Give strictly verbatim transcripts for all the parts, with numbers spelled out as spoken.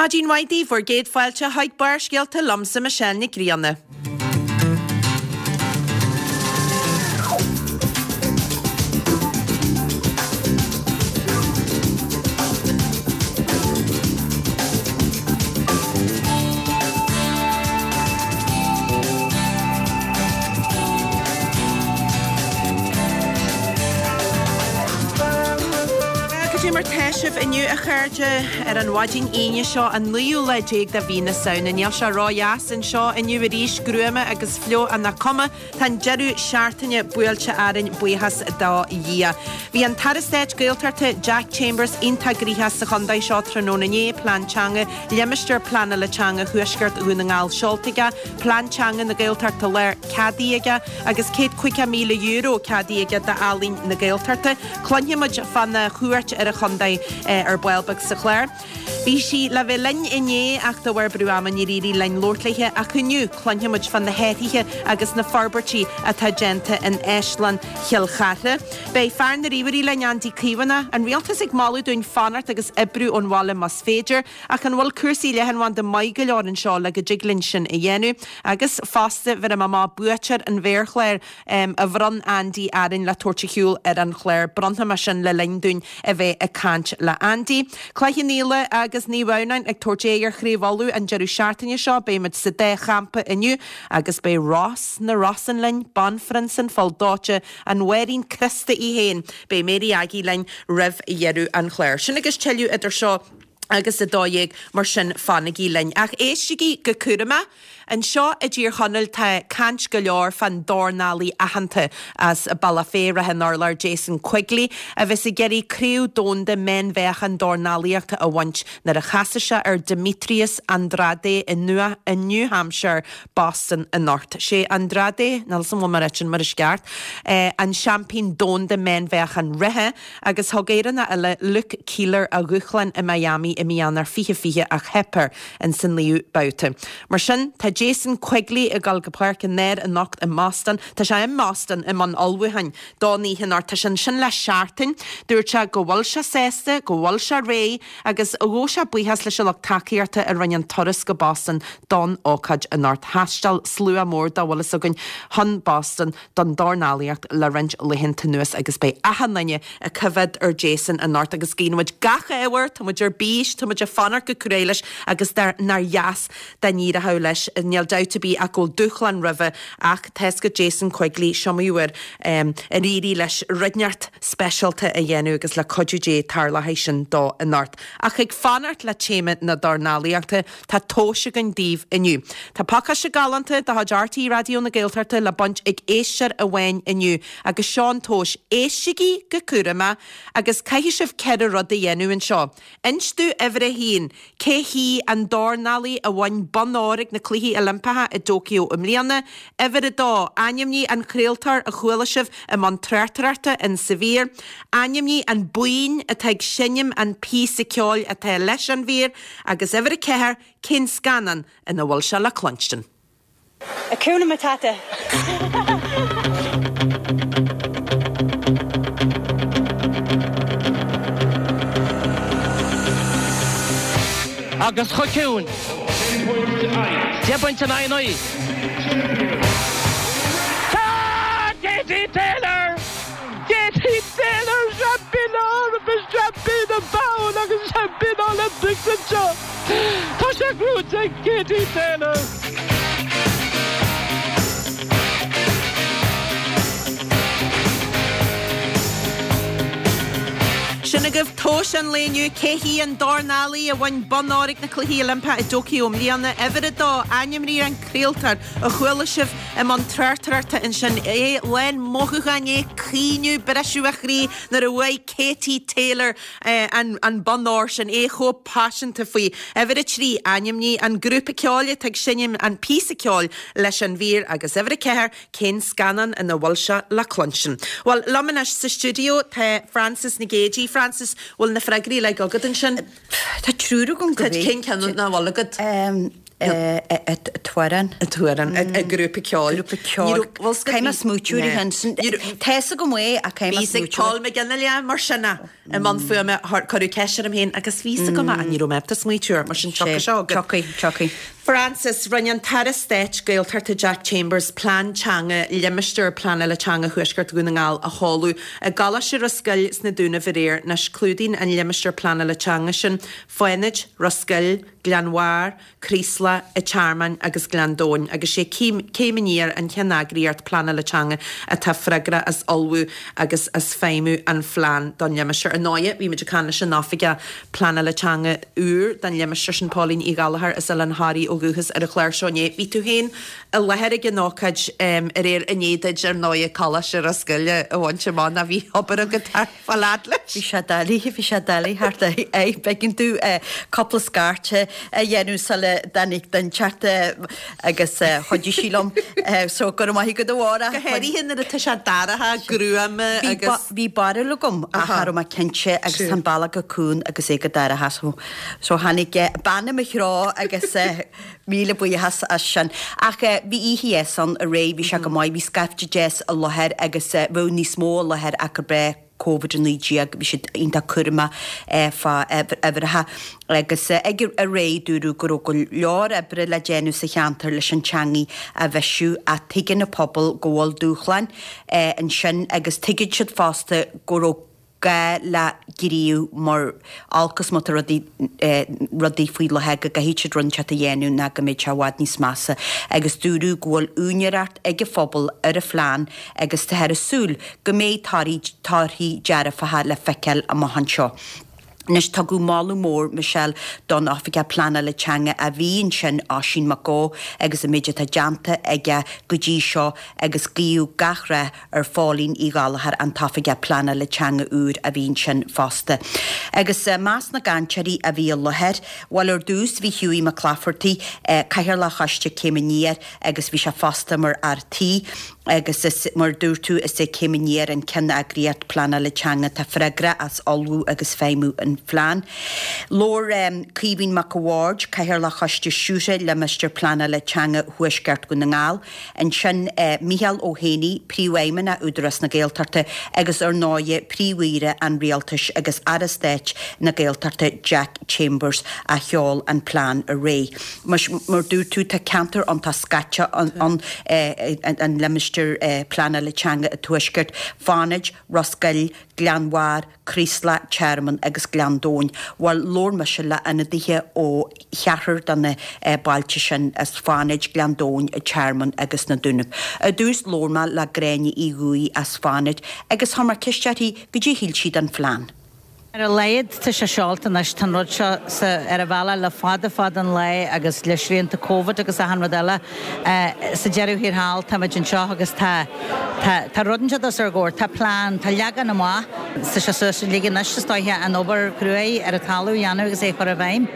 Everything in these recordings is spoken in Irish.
Maidin mhaith daoibh, bhur gcéad fáilte chuig Barrscéalta liomsa Michelle Nic Grianna. Cad é mar tá sibh inniu a chairde ar an mhaidin Aoine seo an naoú lá déag de mhí na Samhna. Níl sé ródheas anseo inniu arís, gruama agus fliuch ach nach cuma, tá an deireadh seachtaine buailte orainn buíochas do Dhia. Bhí an tAire Stáit Gaeltachta Jack Chambers iontach gnoitheach sa chontae seo tráthnóna inné, Plean Teanga, Limistéar Pleanála Teanga Thuaisceart Dhún na nGall seolta aige, Plean Teanga na Gaeltachta Láir ceadaithe aige agus céad caoga míle euro ceadaithe aige d'Ealaín na Gaeltachta. Cluinfidh muid fána chuairt ar an chontae ar ball beag sa chlár. Bhí sí le bheith linn inné ach de bharr brú ama níor éirigh linn labhairt léi ach inniu cluinfidh muid fá na hathruithe agus na forbairtí atá déanta in Áislann Chill Chartha. Beidh fear na ríomhairí linn, Andy Caomhánach, an rialtas ag moladh dúinn fanacht agus oibriú ón bhaile más féidir, ach an bhfuil cúrsaí leathanbhanda maith go leor anseo le go dtig linn sin a dhéanamh? Agus fosta bhéarfaidh mé amach buaiteoir an mhéarchláir a bhronn Andy orainn le tabhairt ar shiúl ar an chlár. Bronnfaidh mé sin le linn dúinn a bheith ag caint le Andy. Cloich Cheann Fhaola agus Naomh Adhamhnáin ag tabhairt aghaidh ar Chraobh Uladh an deireadh seachtaine seo. Beidh muid sa dá champa inniu agus beidh Ros na Rosann linn, Banphrionsa an Phoill Dóite, an Mháirín Criosta í féin. Beidh Mary Aggie linn roimh dheireadh an chláir. Sin agus tuilleadh idir seo agus a dó dhéag, mar sin fanaigí linn. Ach éistigí go cúramach. Anseo i dTír Chonaill tá caint go leor fán dornálaí aitheanta as Bealach Féich, Ráth an Urláir, Jason Quigley, a bheas ag iarraidh Craobh Domhanda Meánmheáchan Dornálaíochta a bhaint nuair a chasfaidh sé ar Demetrius Andrade i New Hampshire, Boston anocht. Sé Andrade, níl 'fhios a'm an bhfuil mé ag ráit sin mar is ceart, an seaimpín domhanda meánmheáchan reatha agus thug Éireannach eile Luke Keeler a dhúshlán i Miami i mí Eanáir fiche fiche ach theip air ins an naoú babhta. Mar sin, tá Jason Quigley ag dul go Páirc an Áir anocht i mBoston. Tá sé i mBoston i mbun ullmhúcháin don oíche anocht. Tá sé ansin le seachtain. Dúirt sé go bhfuil sé sásta, go bhfuil sé réidh agus ghabh sé buíochas leis an lucht tacaíochta a rinne an turas go Boston don ócáid anocht. Thaistil slua mór dá bhfuil fhios againn chun Boston don dornálaíocht le roinnt laethanta anuas agus beidh achan duine ag coimhéad ar Jason anocht agus guíonn muid gach ádh air, tá muid ar bís, tá muid ag fanacht go cruaidh leis agus nár dheas dá n-éireodh leis, níl dabht ar bith ach go bhfuil dúshlán roimhe ach tá fhios agat Jason Quigley, is iomaí uair ar éirigh leis rud inteacht speisialta a dhéanamh agus le cuidiú Dé tarlóidh sin dó anocht. Ach ag fanacht le téama na dornálaíochta, tá tomhais againn daoibh inniu. Tá pacáiste galánta de chuid RTÉ Raidió na Gaeltachta le baint ag éisteoir amháin inniu agus seo an tomhas, éistigí go cúramach agus caithfidh sibh ceithre rud a dhéanamh anseo. Inis domh uimhir a haon, cé hí an dornálaí a bhain bonn óir ag na Cluichí Oilimpeacha i dTóiceo i mbliana? Uimhir a dó, ainmnigh an craoltóir a chuala sibh i mbun tráchtaireachta in sa mhír. Ainmnigh an buíon atá ag seinm an píosa ceoil atá leis an mhír. Agus uimhir a ceathair, cén scannán ina bhfuil sé le cluinstin? Hakuna Matata. Agus chomh ciúin. Deich bpointe in aghaidh a naoi. Tá Katie Taylor! Katie Taylor, seaimpín na hEorpa, seaimpín na bhFonn agus seaimpín na Olympics anseo! Tá sé gnóite ag Katie Taylor! Sin agaibh tomhas an lae inniu. Cé hí an dornálaí a bhain bonn óir ag na Cluichí Oilimpeacha i dTóiceo i mbliana? Uimhir a dó, ainmnigh an craoltóir a chuala sibh i mbun tráchtaireachta ansin. É lán mothúcháin, é ag caoineadh, briseadh a chroí nuair a bhuaigh Katie Taylor an bonn óir sin, é chomh paiseanta faoi. Uimhir a trí, ainmnigh an grúpa ceoil atá ag seinm an píosa ceoil leis an mhír agus uimhir a ceathair, cén scannán ina bhfuil sé le cluinstin? Bhuel, liom anois sa stiúideo tá Frances Nic Géadaigh. Frances, bhfuil na freagraí uilig agat ansin? Tá triúr agam go Tá, cén ceann nach bhfuil agat? Tuaran. Tuaran, a grúpa ceoil. Grúpa ceoil. Caithfidh mé smaoitiú ar shin. Tá fhios agam é ach caithfidh mé Bhí smaoitiú. Paul McGinley mar sin i mbun fuaime cuireadh ceist orm féin agus bhí fhios agam ach ní raibh mé ábalta smaoitiú air mar sin tiocfaidh seo agat. Tiocfaidh, tiocfaidh. Francis, rinne an tAire Stáit Gaeltachta Jack Chambers plean teanga limistéar pleanála teanga Thuaisceart Dhún na nGall a sheoladh i gColáiste Ros Goill sna Dúnaibh aréir. Anois clúdaíonn an limistéar pleanála teanga sin Fánaid, Ros Goill, Gleann Bharr, Craoslach, an Tearmann agus Gleann Domhain agus sé Céim Aniar an cheanneagraíocht pleanála teanga atá freagrach as ullmhú agus as feidhmiú an phlean don limistéar. Ar ndóigh, bhí muid ag caint leis an oifigeach pleanála teanga úr don limistéar sin Pauline Uí Ghallchóir as Oileán Thoraí ó dhúchas ar an chlár seo inné. Bhí tú féin i láthair ag an ócáid aréir i ndiaidh duit ar ndóigh Coláiste Ros Goill a bhaint amach ná bhí obair agat thar fá leat leis. Bhí sé doiligh, bhí sé doiligh thart é b'éigean domh cúpla scairt a dhéanamh sula dtáinig den teacht agus chuidigh sí liom so go raibh maith agat a Mháire. Go háirithe nuair atá sé dorcha gruama agus. Bhí barúil agam ach cha raibh mé cinnte agus tá an bealach go cúng agus é go dorcha so so tháinig bean i mo threo agus míle buíochas as sin. Ach bhí oíche dheas ann aréir, bhí sé go maith, bhí scaifte deas i láthair agus bheadh níos mó i láthair ach gur breith Covid a naoi déag, bhí siad iontach cúramach fá uimhreacha agus ag aréir dúradh go raibh go leor oibre le déanamh sa cheantar leis an teangaidh a bhisiú ach tuigeann an pobal go bhfuil dúshláin ansin agus tuigeann siad fosta go raibh gá le gníomh mar olc is má tá rudaí rudaí faoi láthair go gcaithfidh siad rud inteacht a dhéanamh ná go mbeidh sé i bhfad níos measa agus dúradh go bhfuil úinéireacht ag an phobal ar an phlean agus táthar ag súil go mbeidh torthaí dearfacha le feiceáil amach anseo. Anois tugadh moladh mór, Michelle, don Oifigeach Pleanála Teanga a bhí ansin, Oisín Mac Eó, agus an méid atá déanta aige go dtí seo agus guíodh gach rath ar Phóilín Uí Ghallchóir, an tOifigeach Pleanála Teanga úr a bhí ansin fosta. Agus i measc na gcainteoirí a bhí i láthair, bhuel ar dtús bhí Hughie McClafferty, Cathaoirleach Choiste Céim Aniar agus bhí sé fosta mar fhear tí agus is mar dúirt tú is é Céim Aniar an ceanneagraíocht pleanála teanga atá freagrach as ullmhú agus feidhmiú an phlean. Labhair Caoimhín Mac a' Bhaird, Cathaoirleach Choiste Stiúrtha Limistéar Pleanála Teanga Thuaisceart Dhún na nGall, ansin Micheál Ó hÉanaí, Príomhfheidhmeannach Údarás na Gaeltachta agus ar ndóigh Príomh-Aoire an Rialtais agus Aire Stáit na Gaeltachta Jack Chambers a sheol an plean aréir. Mar dúirt tú tá ceantar iontach scaite ann an limistéar pleanála teanga i Tuaisceart, Fánaid, Ros Goill, Gleann Bharr, Craoslach, Tearmann agus Gleann Domhain. Bhuel, labhair mise le ionadaithe ó cheathrar de na bailte sin, as Fánaid, Gleann Domhain, Tearmann agus na Dúnaibh. Ar dtús labhair mé le Gráinne Uí Dhúill as Fánaid agus chuir mé ceist uirthi goidé a shíl sí den phlean. Ar a laghad tá sé seolta anois, tá an rud seo sa, ar a bhealach le fada fada an lá agus le srianta Covid agus achan rud eile. Sa deireadh thiar thall táimid anseo agus tá, tá, tá rud anseo os ár gcomhair, tá plean, tá leagan amach, tá sé suas uilig anois is dóiche an obair chruaidh ar an talamh a dhéanamh agus é a chur i bhfeidhm.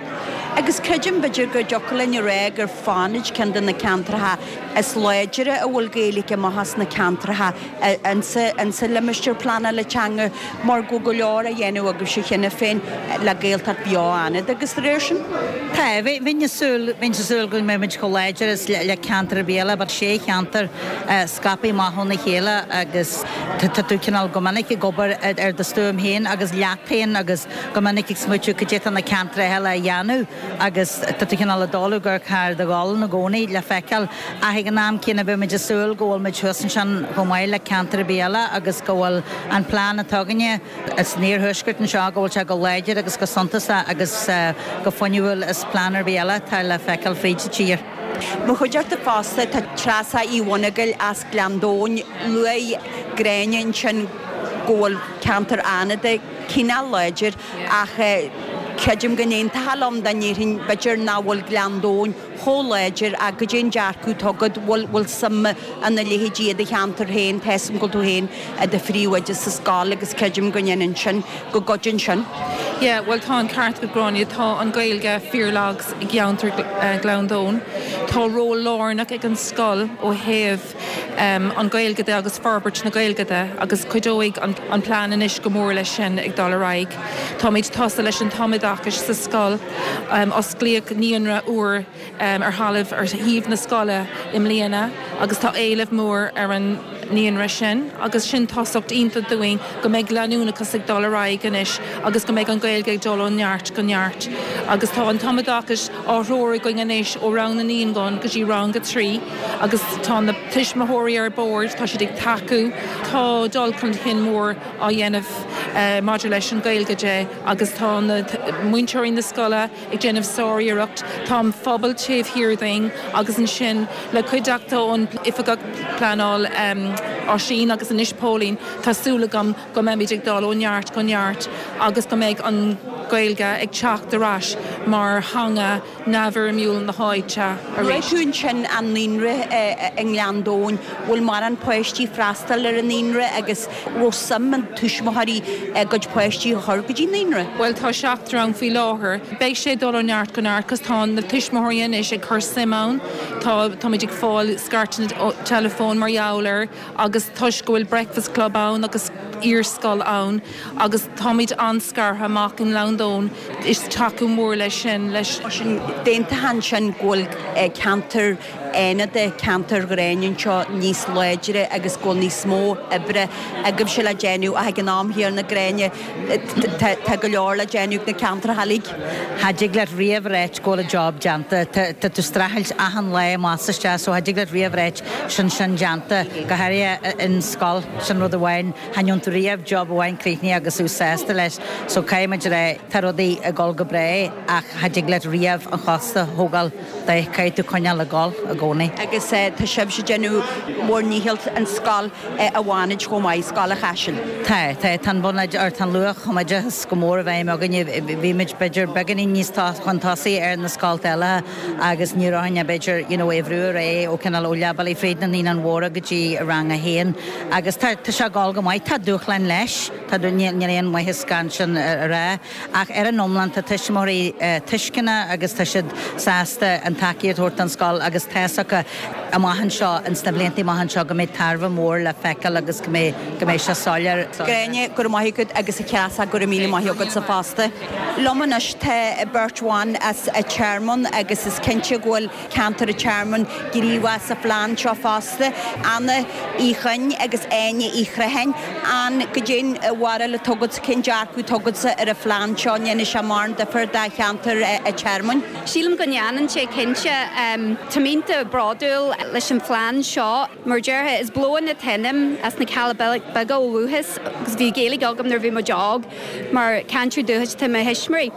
Agus creidim b'fhéidir go dtiocfadh linn a rá gur Fánaid ceann de na ceantracha is láidre a bhfuil Gaeilge amach as na ceantracha insa limistéar pleanála teanga mar go bhfuil go leor á dhéanamh agaibhse cheana féin le Gaeltacht bheo Fhánada agus de réir sin. Tá, bheinn ag súil, bheinn ag súil go mbeidh muid chomh láidir is le ceantar ar bith eile but sé cheantar scaipthe amach óna chéile agus tá tú cineál go minic ag obair ar do stuaim féin agus leat féin agus go minic ag smaoitiú cad é tá na ceantracha eile a dhéanamh agus tá tú cineál ag dul ag amharc thar do ghualainn i gcónaí le feiceáil ach ag an am céanna beidh muid ag súil go bhfuil muid thuas ansin chomh maith le ceantar ar bith eile agus go bhfuil an plean atá againne san iarthuaisceart anseo go bhfuil sé go láidir agus go suntasach agus go fuinniúil is plean ar bith eile atá le feiceáil fríd an tír. Mo chuideachta fosta tá Treasa Uí Mhonagail as Gleann Domhain. Luaigh Gráinne ansin go bhfuil ceantar Fhánada cineál láidir ach creidim go n-aontófá liom dá ndéarfainn b'fhéidir nach bhfuil Gleann Domhain chomh láidir ach goidé an dearcadh atá agat, bhfuil bhfuil suim ina leithéidí i do cheantar féin, tá 'fhios a'm go bhfuil tú féin i do phríomhoide sa scoil agus creidim go ndéanann sin, go gcuidíonn sin. Yeah, well tá an ceart agat Gráinne tá an Ghaeilge fíorlag i gceantar uh, Ghleann Domhain. Tá ról lárnach ag an scoil ó thaobh um, an Ghaeilge de agus forbairt na Gaeilge de agus cuideoidh an, an plean anois go mór leis sin ag dul ar aghaidh. Táimid tosaithe leis an tumoideachas sa scoil um, osclaíodh naíonra úr um, ar thalamh ar thaobh na scoile i mbliana agus tá éileamh mór ar an naíonra sin agus sin tosacht iontach dúinn go mbeidh leanúnachas ag dul ar aghaidh anois agus go mbeidh an Ghaeilge ag dul ó neart go neart. Agus tá an tumoideachas á threorú againn anois ó rang na naíonán go dtí rang a trí agus tá na tuismitheoirí ar bord, tá siad ag tacú, tá dul chun cinn mór á dhéanamh uh, maidir leis an Ghaeilge de agus tá na múinteoirí na scoile ag déanamh sáriarracht, Tá an pobal taobh thiar dínn agus ansin le cuideachta ón oifigeach pleanála um, Oisín agus anois Póilín tá súil agam go mbeimid ag dul ó neart go neart agus go mbeidh an Ghaeilge ag teacht ar ais mar theanga neamhfhoirmiúil na háite arís. Tú sin an naíonra i nGleann Domhain, bhfuil mórán páistí freastal ar an naíonra agus bhfuil suim an tuismitheoirí a gcuid páistí a chur go dtí naíonra. Well tá seachtar ann faoi láthair. Beidh sé dul ó neart go neart cos tá na tuismitheoirí anois ag cur suim ann, Tá táimid ag fáil scairteanna telefón mar gheall air agus toisc go bhfuil breakfast club ann agus iarscoil ann agus táimid an-scartha amach i nGleann Domhain is tacú mór leis sin leis. Sin déanta sin go bhfuil ceantar Fhánada ceantar Ghráinne anseo níos láidre agus go bhfuil níos mó oibre agaibhse le déanamh ach ag an am chéanna Gráinne tá go leor le déanamh na ceantracha uilig. Cha dtig leat riamh a ráit go bhfuil an job déanta Tá tú streachailt achan lá amach isteach so cha dtig leat riamh a ráit sin sin déanta go háirithe in scoil sin rud amháin cha ndéanann tú riamh job amháin críochnaithe agus tú sásta leis so caithfimid rá tá rudaí ag dul go breá ach cha dtig leat riamh an chos a thógáil de caithfidh tú coinneáil ag dul i gcónaí. Agus tá sibhse ag déanamh bhur ndícheall an scoil a bhainid chomh maith Scoil an Chaisil. Tá tá tan buna ar tan luach chuideas go mór a bheith againne bhí muid b'fhéidir beagáinín níos chun tosaigh ar na scolta eile agus ní raibh b'fhéidir you know, éhrú ré ó cineál ó leibhéal fríd na naíonáin mhóra go dtí rang a haon agus tá sé ag dul go maith tá dúshláin leis Tá níl aon mhaitheas gan sin a rá ach ar an iomlán tá tuismitheoirí tuisceanach agus tá siad sásta an tacaíocht a thabhairt don scoil agus tá acu amach anseo insna blianta amach anseo go mbeidh tairbhe mór le feiceáil agus go mbeidh go mbeidh sé soiléir. Gráinne go maith agat agus a cheasa go míle maith agat sa fosta. Liom anois tá beirt bhan as an Tearmann agus is cinnte go bhfuil ceantar an Tearmainn gníomhach sa phlean seo fosta. Anna Uí Chuinn agus Áine Uí Chriomhthain an cad é an bharúil atá agat cén dearcadh atá agatsa ar an phlean seo ndéanfaidh sé mórán difear do cheantar an Tearmainn. Sílim go ndéanann sé cinnte Táim iontach bródúil leis an phlean seo mar déarfá is Blowen an t-ainm as na Cealla Beaga ó dhúchas agus bhí Gaeilge agam nuair bhí mé óg mar cainteoir dúchais tá mo thuismitheoirí.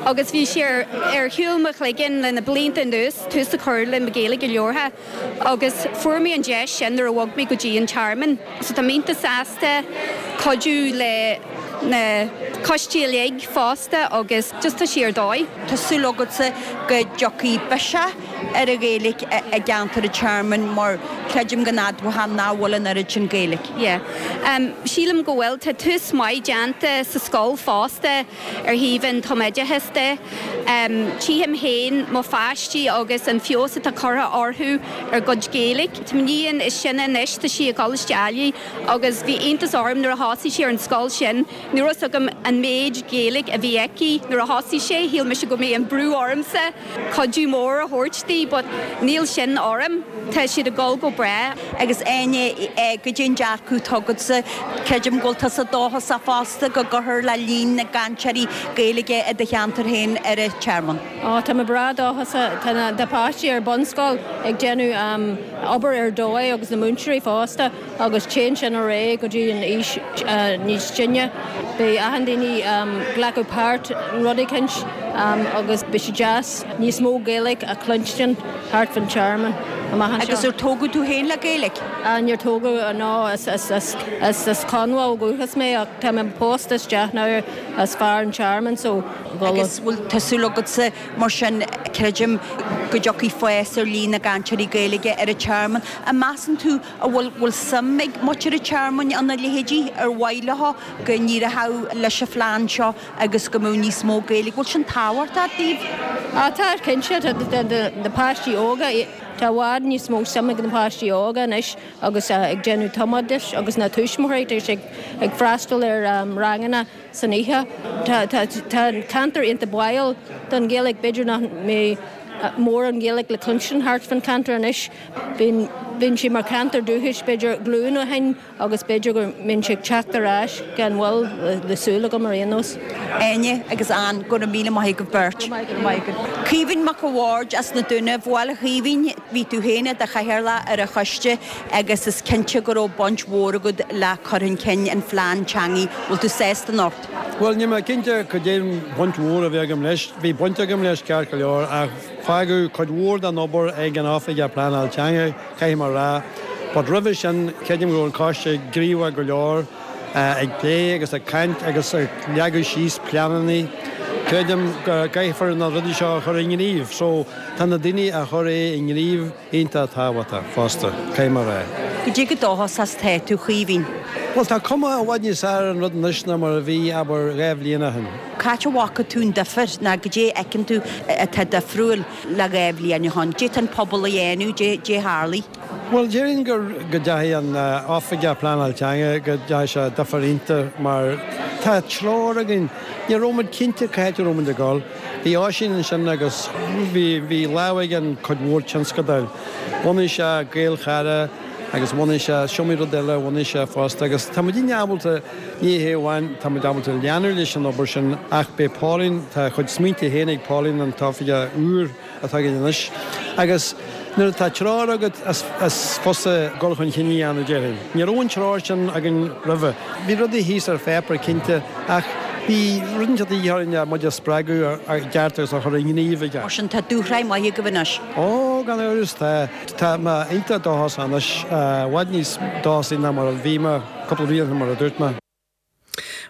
Agus bhí sé ar shiúl mo chloigeann le na blianta anuas tús a chur le mo Ghaeilge leortha. agus fuair mé an deis sin nuair a bhog mé go dtí an Tearmann. So tá iontach sásta cuidiú le na coistí uilig fosta agus just tá sé ar dóigh. Tá súil agatsa go dtiocfaidh biseach ar an Ghaeilge i gceantar an Tearmainn mar creidim go n-admhaíonn nach bhfuil an oiread sin Gaeilge. Yeah. Um, sílim go bhfuil tá tús maith déanta sa scoil fosta ar thaobh an tumoideachas de. Um, Tchím féin mo pháistí agus an feabhas atá curtha orthu ar gcuid Gaeilge. Tá m'iníon is sine anois tá sí i gColáiste Ailigh agus bhí iontas orm nuair a thosaigh sí ar an scoil sin, ní raibh agam an méid Gaeilge a bhí aici nuair a thosaigh sé, shíl mise go mbeadh an brú ormsa cuidiú mór a thabhairt di, but níl sin orm, Tá siad ag dul go breá. Agus Áine cad é an dearcadh atá agatsa creidim go bhfuil tusa dóchasach fosta go gcuirfear le líon na gcainteoirí Gaeilge i do cheantar féin ar an Tearmann. Ó tá mé breá dóchasach tá na páistí ar bunscoil ag déanamh um, obair ar dóigh agus na múinteoirí fosta agus téann sin ar aghaidh go dtí an aois uh, níos sine. Beidh achan duine um, glacadh páirt rud éicint um, agus Beidh sé deas níos mó Gaeilge a chluinstin thart fán Tearmann amach anseo. Agus ar tógadh tú féin le Gaeilge? Níor tógadh, no, is as Conmhaigh ó dhúchas mé ach tá mé pósta isteach now as fear an Tearmann so. Agus bhfuil tá súil agatsa mar sin, creidim go dtiocfaidh fás ar líon na gcainteoirí Gaeilge ar an Tearmann. An measann tú an bhfuil bhfuil suim ag muintir an Tearmainn ina leithéidí ar mhaith leo go n-éireodh leis an phlean seo agus go mbeadh níos mó Gaeilge? Bhfuil sin tábhachtach daoibh? Á tá cinnte, na páistí óga, tá i bhfad níos mó suim ag na páistí óga anois agus ag déanamh tumoideachais agus na tuismitheoirí tá siad ag freastal ar ranganna san oíche. Tá an ceantar iontach báúil don Ghaeilge, b'fhéidir nach mbeidh mórán Gaeilge le cluinstin thart fán cheantar anois. Bíonn sé mar cheantar dúchais b'fhéidir glúin ó shin agus b'fhéidir go mbíonn sé ag teacht ar ais gan mhoill le súil agam ar aon nós. Áine agus Ann, go raibh míle maith agaibh beirt. Go raibh maith agat. Caoimhín Mac a' Bhaird as na Dúnaibh, Bhuel a Chaoimhín, bhí tú féin i do chathaoirleach ar an choiste agus is cinnte go raibh baint mhór agat le cur chun cinn an phlean teanga. Bhfuil tú sásta anocht? Bhuel, níl mé cinnte cad é an bhaint mhór a bhí agam leis. Bhí baint agam leis ceart go leor ach fágadh cuid mhór den obair ag an Oifigeach Pleanáil Teanga, caithfidh mé a rá. But roimhe sin, creidim go raibh an coiste gníomhach go leor ag plé agus ag caint agus ag leagadh síos pleananna. Creidim go gcaithfear na rudaí seo a chur i ngníomh. So tá na daoine a chur é i ngníomh iontach tábhachtach fosta, caithfidh mé a rá. Cad é chomh dóchasach is atá tú, a Chaoimhín? Bhuel, tá cuma i bhfad níos fearr ar an rud anois ná mar a bhí, abair, dhá bhliain ó shin. Cá háit a bhfaca tú an difear, ná cad é a fheiceann tú atá difriúil le dhá bhliain ó shin? Cad é tá an pobal a dhéanamh, cad é a tharlaigh? Bhuel, déarfainn gur go dteachaigh an Oifigeach Pleanáil Teanga, go dteachaigh sé difear iontach mar tá treoir againn. Ní raibh muid cinnte cá háit a raibh muid ag dul. Bhí Oisín ansin agus bhí bhí lámh aige in cuid mhór tionscadail. Bhunaigh sé Gaelchara agus bhunaigh sé is iomaí rud eile a bhunaigh sé fosta agus tá muidinne ábalta, ní hé amháin tá muid ábalta leanúint leis an obair sin ach beidh Pauline, tá a chuid smaointe féin ag Pauline an t-oifigeach úr atá againn anois agus nuair atá treoir agat is is fusa dul chun cinn a dhéanamh déarfainn. Ní raibh an treoir sin againn roimhe. Bhí rudaí thíos ar pháipéar cinnte ach bhí rud inteacht de dhíth orainn le muid a spreagadh i gceart agus a chur i ngníomh i gceart. Mar sin tá dúshraith maith agaibh anois. Ó, gan amhras tá. Tá mé iontach dóchasach anois, i bhfad níos dóchasaí ná mar a bhí mé cúpla bliain ó shin mar a dúirt mé.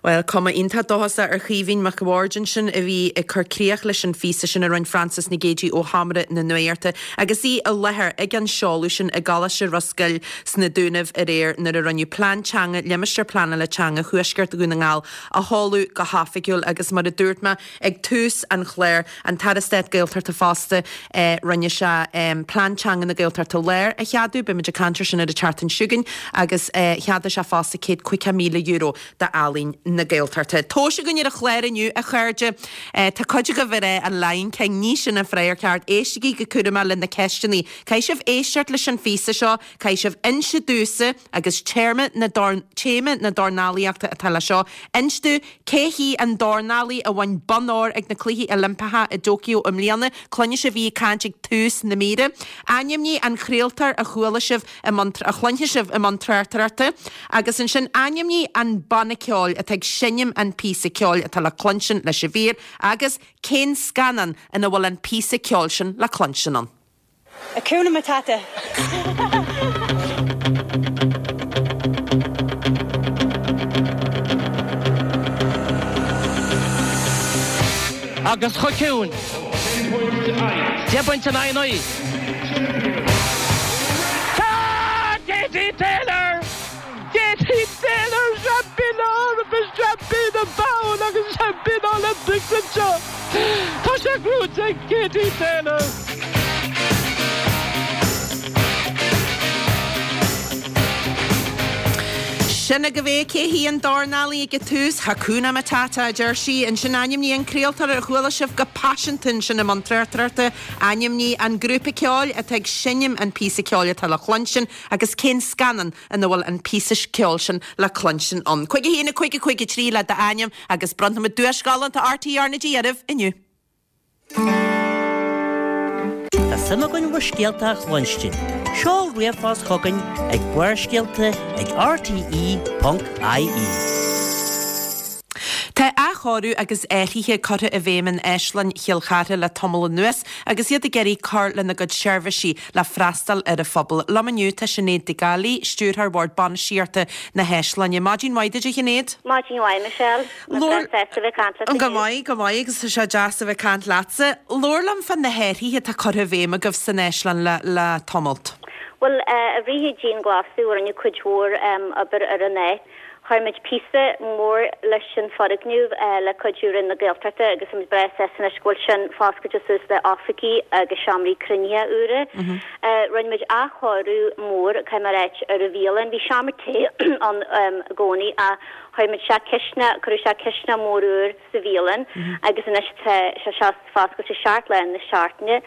Bhuel, cuma iontach dóchasach ar Chaoimhín Mac a' Bhaird ansin a bhí ag cur críoch leis an phíosa sin a rinne Frances Nic Géadaigh ó Sheomra na Nuachta agus í i láthair ag an seoladh sin i gColáiste Ros Goill sna Dúnaibh aréir nuair a rinneadh Plean Teanga Limistéar Pleanála Teanga Thuaisceart Dhún na nGall a sheoladh go hoifigiúil agus mar a dúirt mé ag tús an chláir, an tAire Stáit Gaeltachta fosta, rinne sé Plean Teanga na Gaeltachta Láir a cheadú, beimid ag caint air sin ar an tseachtain seo chugainn, agus cheadaigh sé fosta céad caoga míle euro d'Ealaín na Gaeltachta. Tomhais againn ar an chlár inniu, a chairde. Tá cuid agaibh ag rá an Lion King, ní sin an freagra ceart. Éistigí go cúramach le na ceisteanna. Caithfidh sibh éisteacht leis an phíosa seo, caithfidh sibh inse domhsa agus téarma na téama na dornálaíochta atá leis seo. Inis domh cé hí an dornálaí a bhain bonn óir ag na Cluichí Oilimpeacha i dTóiceo i mbliana. Cluinfidh sibh í ag caint ag tús na míre. Ainmnigh an craoltóir a chuala sibh i mbun a chluinfidh sibh i mbun tráchtaireachta. Agus ansin ainmnigh an banna ceoil atá ag seinm an píosa ceoil atá le cluinstin leis an mhír agus cén scannán ina bhfuil an píosa ceoil sin le cluinstin ann. Hakuna Matata. Agus chomh ciúin. Deich bpointe in aghaidh a naoi. Tá Katie Taylor! Katie Taylor seaimpín na hEorpa, seaimpín an domhain agus seaimpín Olympics anseo! Tá sé gnóthaithe ag Katie Taylor! Sin agaibh é, cé hí an dornálaí ag an tús? Hakuna Matata, a deir sí. Ansin ainmnigh an craoltóir a chuala sibh go paiseanta ansin i mbun tráchtaireachta. Ainmnigh an grúpa ceoil atá ag seinm an píosa ceoil atá le cluinstin agus cén scannán ina bhfuil an píosa ceoil sin le cluinstin ann. Cúig a haon a cúig a cúig a trí le d'ainm agus bronnfaimid duais ghalánta RTÉ RnaG oraibh inniu. Tá suim againn bhur scéalta a chluinstin. Seol ríomhphost chugainn ag barrscéalta ag rte ponc ie. Tá athchóiriú athchóiriú agus athruithe curtha i bhfeidhm in Áislann Chill Chartha le tamall anuas agus iad ag iarraidh cur lena gcuid seirbhísí le freastal ar an phobal. Liom inniu tá Sinéad Nic Amhlaoibh, Stiúrthóir Bhord Bainistíochta na hÁislainne. Maidin mhaith duit a Shinéad. Maidin mhaith Michelle. Labhair- Tá a bheith caint leat Go inniu. maith, go maith agus tá sé deas a bheith caint leatsa. Labhair liom fá na hathruithe atá curtha i bhfeidhm agaibh san Áislann le, le tamalt. Well i rith an dianghlasáil rinneadh cuid mhór obair ar an áit. Chuir muid píosa mór leis an foirgneamh le cuidiú Roinn na Gaeltachta agus táimid breá sásta anois go bhfuil sin foscailte suas le oifigí agus seomraí cruinnithe úra. Rinne muid athchóiriú mór caithfidh mé a ráit ar an bhialann. Bhí seomra tae ann i gcónaí ach chuir muid isteach cisteanach, cuireadh isteach cisteanach mór úr sa bhialann agus anois tá sé seo foscailte seacht lá na seachtaine.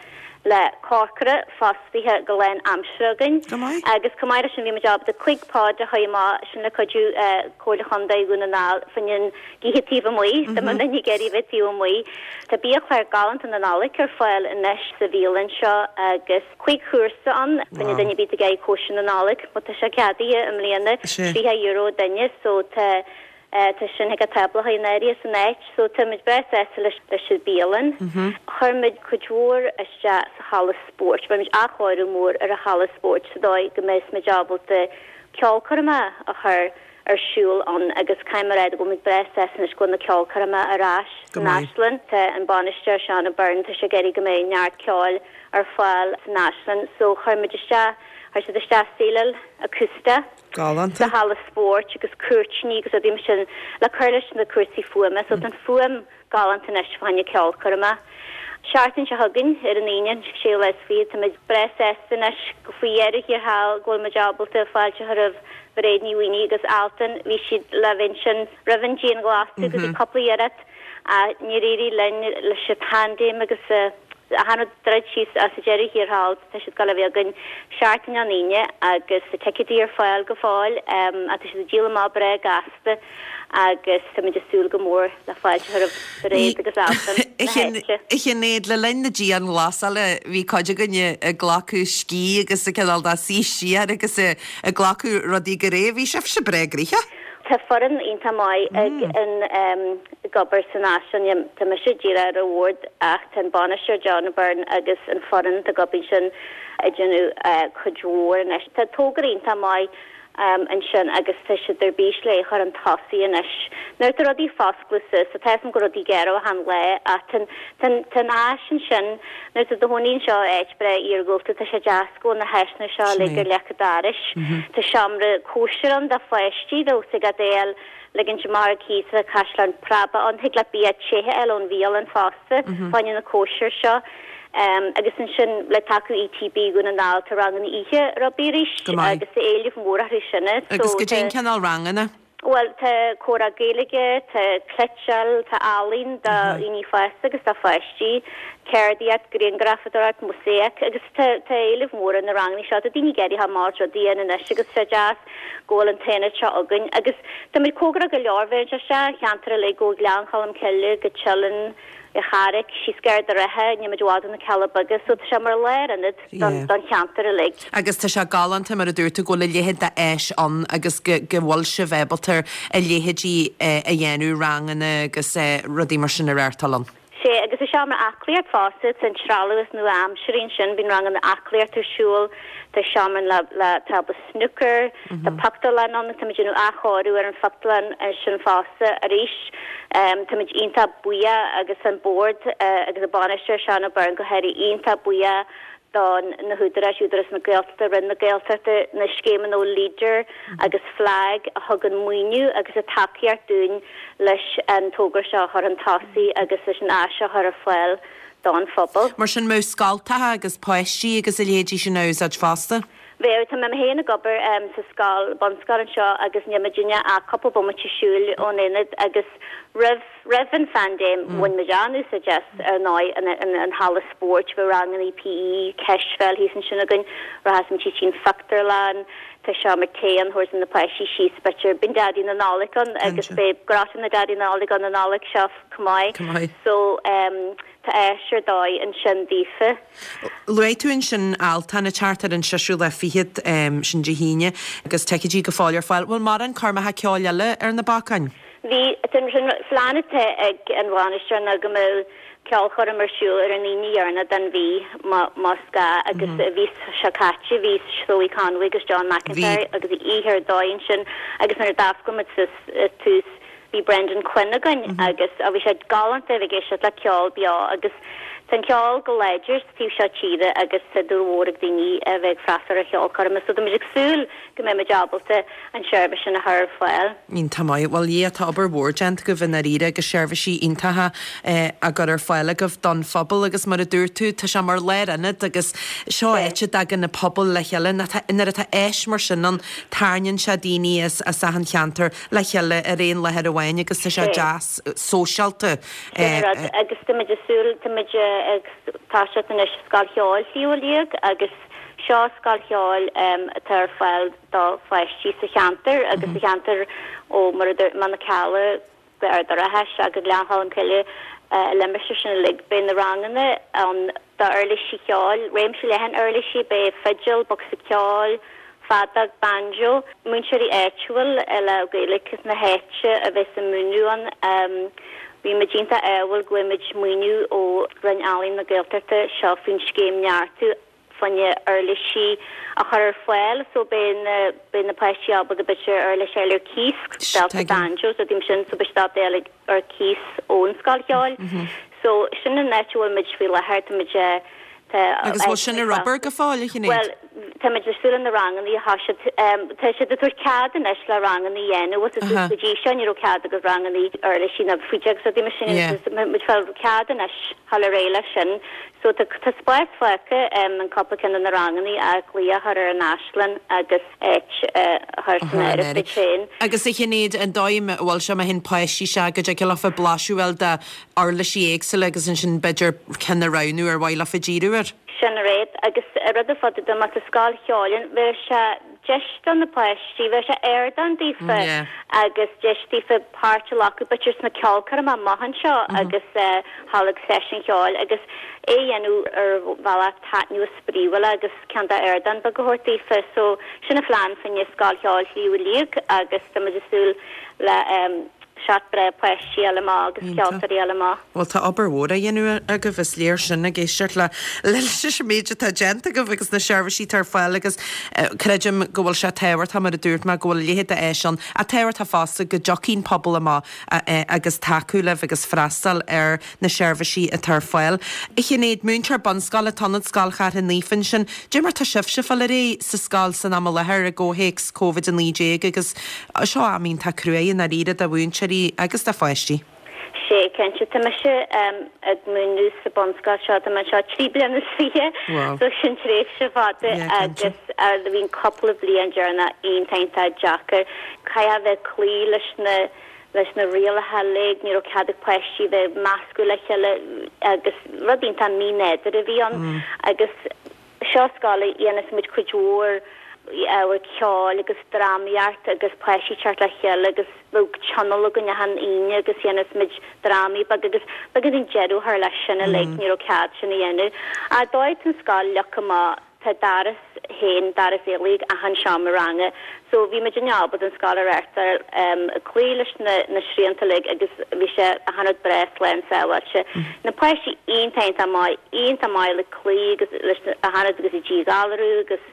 le cócaire fostaithe go lán aimsire againn. Agus chomh maith leis sin bhí muid ábalta cúig pod a chur amach sin le cuidiú Comhairle Chontae Dhún na nGall fá choinne an oíche taobh amuigh, dá mbeadh duine ag iarraidh bheith taobh amuigh. Tá biachlár galánta na Nollag ar fáil anois sa bhialann seo agus cúig chúrsa ann fá choinne duine ar bith ag iarraidh cóisir na Nollag, má tá sé ceadaithe i mbliana, tríocha euro duine so tá Tá sin ag an tábla in áirithe san áit so táimid breá sásta leis leis an bialann. Chuir muid cuid mhór isteach sa halla spóirt. Rinne muid athchóiriú mór ar an halla spóirt sa dóigh go mbeidh muid ábalta ceolchoirme a chur ar siúl ann agus caithfidh mé a rá go bhfuil muid breá sásta anois go bhfuil na ceolchoirme ar ais san Áislann. Tá an bainisteoir Seán O'Byrne tá sé ag iarraidh go mbeidh neart ceoil ar fáil san Áislann so chuir muid isteach chuir siad isteach síleáil acústach. Galánta. Sa halla spóirt agus cúirtíní agus rudaí mar sin le cur leis na cúrsaí fuaime so tá an fuaim galánta anois fá choinne ceolchoirme. Seachtain seo chugainn ar an Aoine an séú lá is fiche táimid breá sásta anois go faoi dheireadh thiar thall go bhfuil muid ábalta fáilte a chur roimh Mhairéad Ní Mhaonaigh agus Altan bhí siad le bheith ansin roimh an dianghlasáil agus bhí cúpla iarracht ach níor éirigh linn leis an paindéim agus achan rud druid síos ach sa deireadh thiar thall tá siad ag gabháil a bheith againn seachtain ón Aoine agus tá ticéadaí ar fáil go fóill ach tá siad ag díol amach breá gasta agus táimid ag súil go mór le fáilte a chur roimh Mhairéad agus Altan na háite. A Shinéad, le linn na dianghlasála bhí cuid againne ag glacadh scíth agus ag cineál de suí siar agus ag glacadh rudaí go réidh. Bhí sibhse breá gnoitheach. Tá foireann iontach maith ag an ag obair san Áislann. Tá mise díreach ar an bhord ach tá an bainisteoir John O'Byrne agus an foireann atá ag obair ansin ag déanamh cuid mhór anois. Tá togra iontach maith ansin agus tá siad ar bís le é a chur chun tosaigh anois. Nuair atá rudaí foscladh suas, tá a fhios agam go rudaí géara achan lá ach tá tá an áis ansin nuair atá do chónaí anseo i áit breá iargúlta tá sé deas go bhfuil na háiseanna seo uilig ar leic an dorais. Tá seomra cóisir ann do pháistí dó sa gadail ligint amach ar cíos tá caisleán preaba ann thig leat bia te a fháil ón bhialann fosta fá choinne na cóisir seo. Agus ansin le tacú ETB Dhún na nGall tá ranganna oíche rugbaí arís agus tá éileamh mór orthu sin. Agus goidé an cineál ranganna? Bhuel, tá comhrá Gaeilge, tá cleiteáil, tá ealaín do dhaoine fásta agus do pháistí, ceardaíocht, grianghrafadóireacht, mósáic agus tá tá éileamh mór ar na ranganna seo. Tá daoine ag iarraidh a ghabháil is rudaí a dhéanamh anois agus tá sé deas go bhfuil an t-aonad seo againn agus táimid cóngarach go leor, bheireann sé isteach an cheantar uilig ó Ghleann Cholm Cille go Teileann, an Charraic, síos gar do Ráithe, níl muid i bhfad ó na Cealla Beaga, so tá sé mar lárionad don don cheantar uilig. Agus tá sé galánta mar a dúirt tú go bhfuil a leithéid d'áis ann agus go go bhfuil sibh ábalta a leithéidí a dhéanamh, ranganna agus rudaí mar sin a reáchtáil ann. Sea, agus sa seomra aclaíocht fosta, tá an trealamh is nua-aimseartha ansin, bíonn ranganna aclaíocht ar siúl, tá seomra le le tábla snooker, tá pictiúrlann ann, táimid ag déanamh athchóiriú ar an phictiúrlann sin fosta arís. Táimid iontach buíoch agus an Bord agus an bainisteoir Seán O'Byrne go háirithe iontach buíoch do na húdaráis, Údarás na Gaeltachta, Roinn na Gaeltachta, na scéimeanna Leader agus FLAG a thugann maoiniú agus a tacaíocht dúinn leis an togra seo a chur chun tosaigh agus leis an áis seo a chur ar fáil don phobal. Mar sin mbeadh scoltacha agus páistí agus a leithéidí sin á úsáid fosta? Bheadh, tá mé féin ag obair sa scoil, bunscoil anseo agus níl muidinne ach cúpla bomaite siúil ón aonad agus roimh, roimh an phaindéim bhain muid an-úsáid as, ar ndóigh, an, an, an halla spóirt, bheadh ranganna PE, cispheil thíos ansin againn, rachadh muid síos dtí'n phictiúrlann, tá seomra tae ann, thabharfadh na páistí síos, b'fhéidir, bíonn Daidí na Nollag ann agus beidh Grotto na Daidí na Nollag ann an Nollaig seo chomh maith. Chomh maith. So, Tá áis ar dóigh ansin daofa. Luaigh tú ansin Altan ag teacht ar an seisiú lá fichead, sin Dé hAoine, agus ticéidí go fóill ar fáil. Bhfuil mórán coirmeacha ceoil eile ar na bacáin? Bhí an phlean atá ag an bhainisteoir ná go mbeadh ceolchoirm ar siúl ar an Aoine dheireanach den mhí más gá agus an mhí seo caite bhí Zoe Conway agus John McIntyre agus oíche ar dóigh ansin agus nuair a d'oscail muid suas tús bhí Brendan Quinn againn agus bhí sé galánta a bheith ag éisteacht le ceol beo agus tá an ceol go láidir sa taobh seo tíre agus tá dúil mhór ag daoine a bheith ag freastal ar cheolchoirm so tá muid ag súil go mbeidh muid ábalta an seirbhís sin a chur ar fáil. Iontach maith. Bhuel yeah tá obair mhór déanta agaibh i ndáiríre agus seirbhísí iontacha á gcur ar fáil agaibh don phobal agus mar a dúirt tú tá sé mar lárionad agus seo áit a dtagann na pobail le chéile nuair atá áis mar sin ann tarraingíonn sé daoine as as achan cheantar le chéile ar aon láthair amháin agus tá sé deas sóisialta. Sin rud agus tá muid ag súil tá muid ag toiseacht anois Scoil Cheoil Shliabh Liag agus seo scoil cheoil atá ar fáil do pháistí sa cheantar agus sa cheantar ó mar a dúirt mé na Cealla go Ard an Rátha isteach go Gleann Cholm Cille limistéar sin uilig. Beidh na ranganna ann d'uirlisí ceoil, réimse leathan uirlisí, beidh fidil, bosca ceoil, feadóg, banjo, múinteoirí áitiúil le Gaeilge na háite a bheas ag múineadh ann. Bhí muid iontach ádhúil go bhfuair muid maoiniú ó Roinn Ealaíon na Gaeltachta seo faoin scéim Neartú fá choinne uirlisí a chur ar fáil so beidh na beidh na páistí ábalta b'fhéidir uirlis a fháil ar cíos, belta banjos rudaí mar sin so beidh siad ábalta a fháil ar cíos ón scoil cheoil. So sin an áit a bhfuil muid faoi láthair, tá muid Tá Agus bhfuil sin ar obair go fóill, a Shinéad? Bhuel, tá muid ag súil le na ranganna atá siad, tá siad ag tabhairt cead anois le ranganna a dhéanamh, bhfuil a fhios go dtí seo ní raibh cead agat ranganna uirlisí ná fidil agus rudaí mar sin agus tá muid ag fáil cead anois dhul ar aghaidh leis sin. So tá tá spás fágtha in cúpla ceann de na ranganna ach glaoch a chur ar an Áislann agus áit a chur san áireamh duit féin. Agus a Shinéad, an dóigh a bhfuil sé má théann páistí isteach go dtig leofa blaiseadh a fháil de uirlisí éagsúla agus ansin b'fhéidir ceann a roghnú ar mhaith leofa díriú air. Sin an rud agus rud ar fad má tá scoil cheoil ann, bheadh sé deis do na páistí, bheadh sé ardán daofa agus deis daofa páirt a ghlacadh b'fhéidir sna ceolchoirmeacha amach anseo agus dhul ag seisiún cheoil agus é a dhéanamh ar bhealach taitneamhach spraíúil agus cineál d'ardán beag a thabhairt daofa. So sin an phlean fá choinne Scoil Cheoil Shliabh Liag agus tá muid ag súil le seat breá páistí a fháil amach agus ceoltóirí a fháil amach. Bhuel, tá obair mhór á dhéanamh agaibh, is léir sin ag éisteacht le leis an méid atá déanta agaibh agus na seirbhísí atá ar fáil agus creidim go bhfuil sé tábhachtach, mar a dúirt mé, go bhfuil a leithéid d'áis ann, ach tábhachtach fosta go dtiocfaidh an pobal amach agus tacú libh agus freastal ar na seirbhísí atá ar fáil. A Shinéad, múinteoir bunscoile, Ionad Scoil Chartha Naofa ansin, cad é mar tá sibhse ag fáil ar aghaidh sa scoil san am i láthair i gcomhthéacs Covid a naoi déag agus seo am iontach cruaidh i ndáiríre do mhúinteoirí agus do pháistí. Sea, cinnte. Tá mise ag múineadh sa bunscoil seo, tá mé anseo trí bliana is fiche, so sin tréimhse fada agus bhí an cúpla bliain deireanach iontach iontach deacair. Caithfidh a bheith ag cloí leis na leis na rialacha uilig, ní raibh cead ag páistí bheith ag meascadh le chéile agus rud iontach mínádúrtha a bhí ann agus seo scoil a dhéanas muid cuid mhór ábhar ceoil agus drámaíocht agus páistí teacht le chéile agus bheadh tionól againn achan Aoine agus dhéanas muid drámaí beaga agus b'éigean deireadh a chur leis sin uilig, ní raibh cead sin a dhéanamh. Ach dóigh an scoil leagtha amach, tá doras féin, doras éalaithe ag achan seomra ranga so bhí muid ábalta an scoil a reáchtáil ag cloí leis na na srianta uilig agus bhí sé achan rud breá slán sábháilte. Na páistí iontach iontach maith, iontach maith le cloí agus leis achan rud agus ag díghalarú agus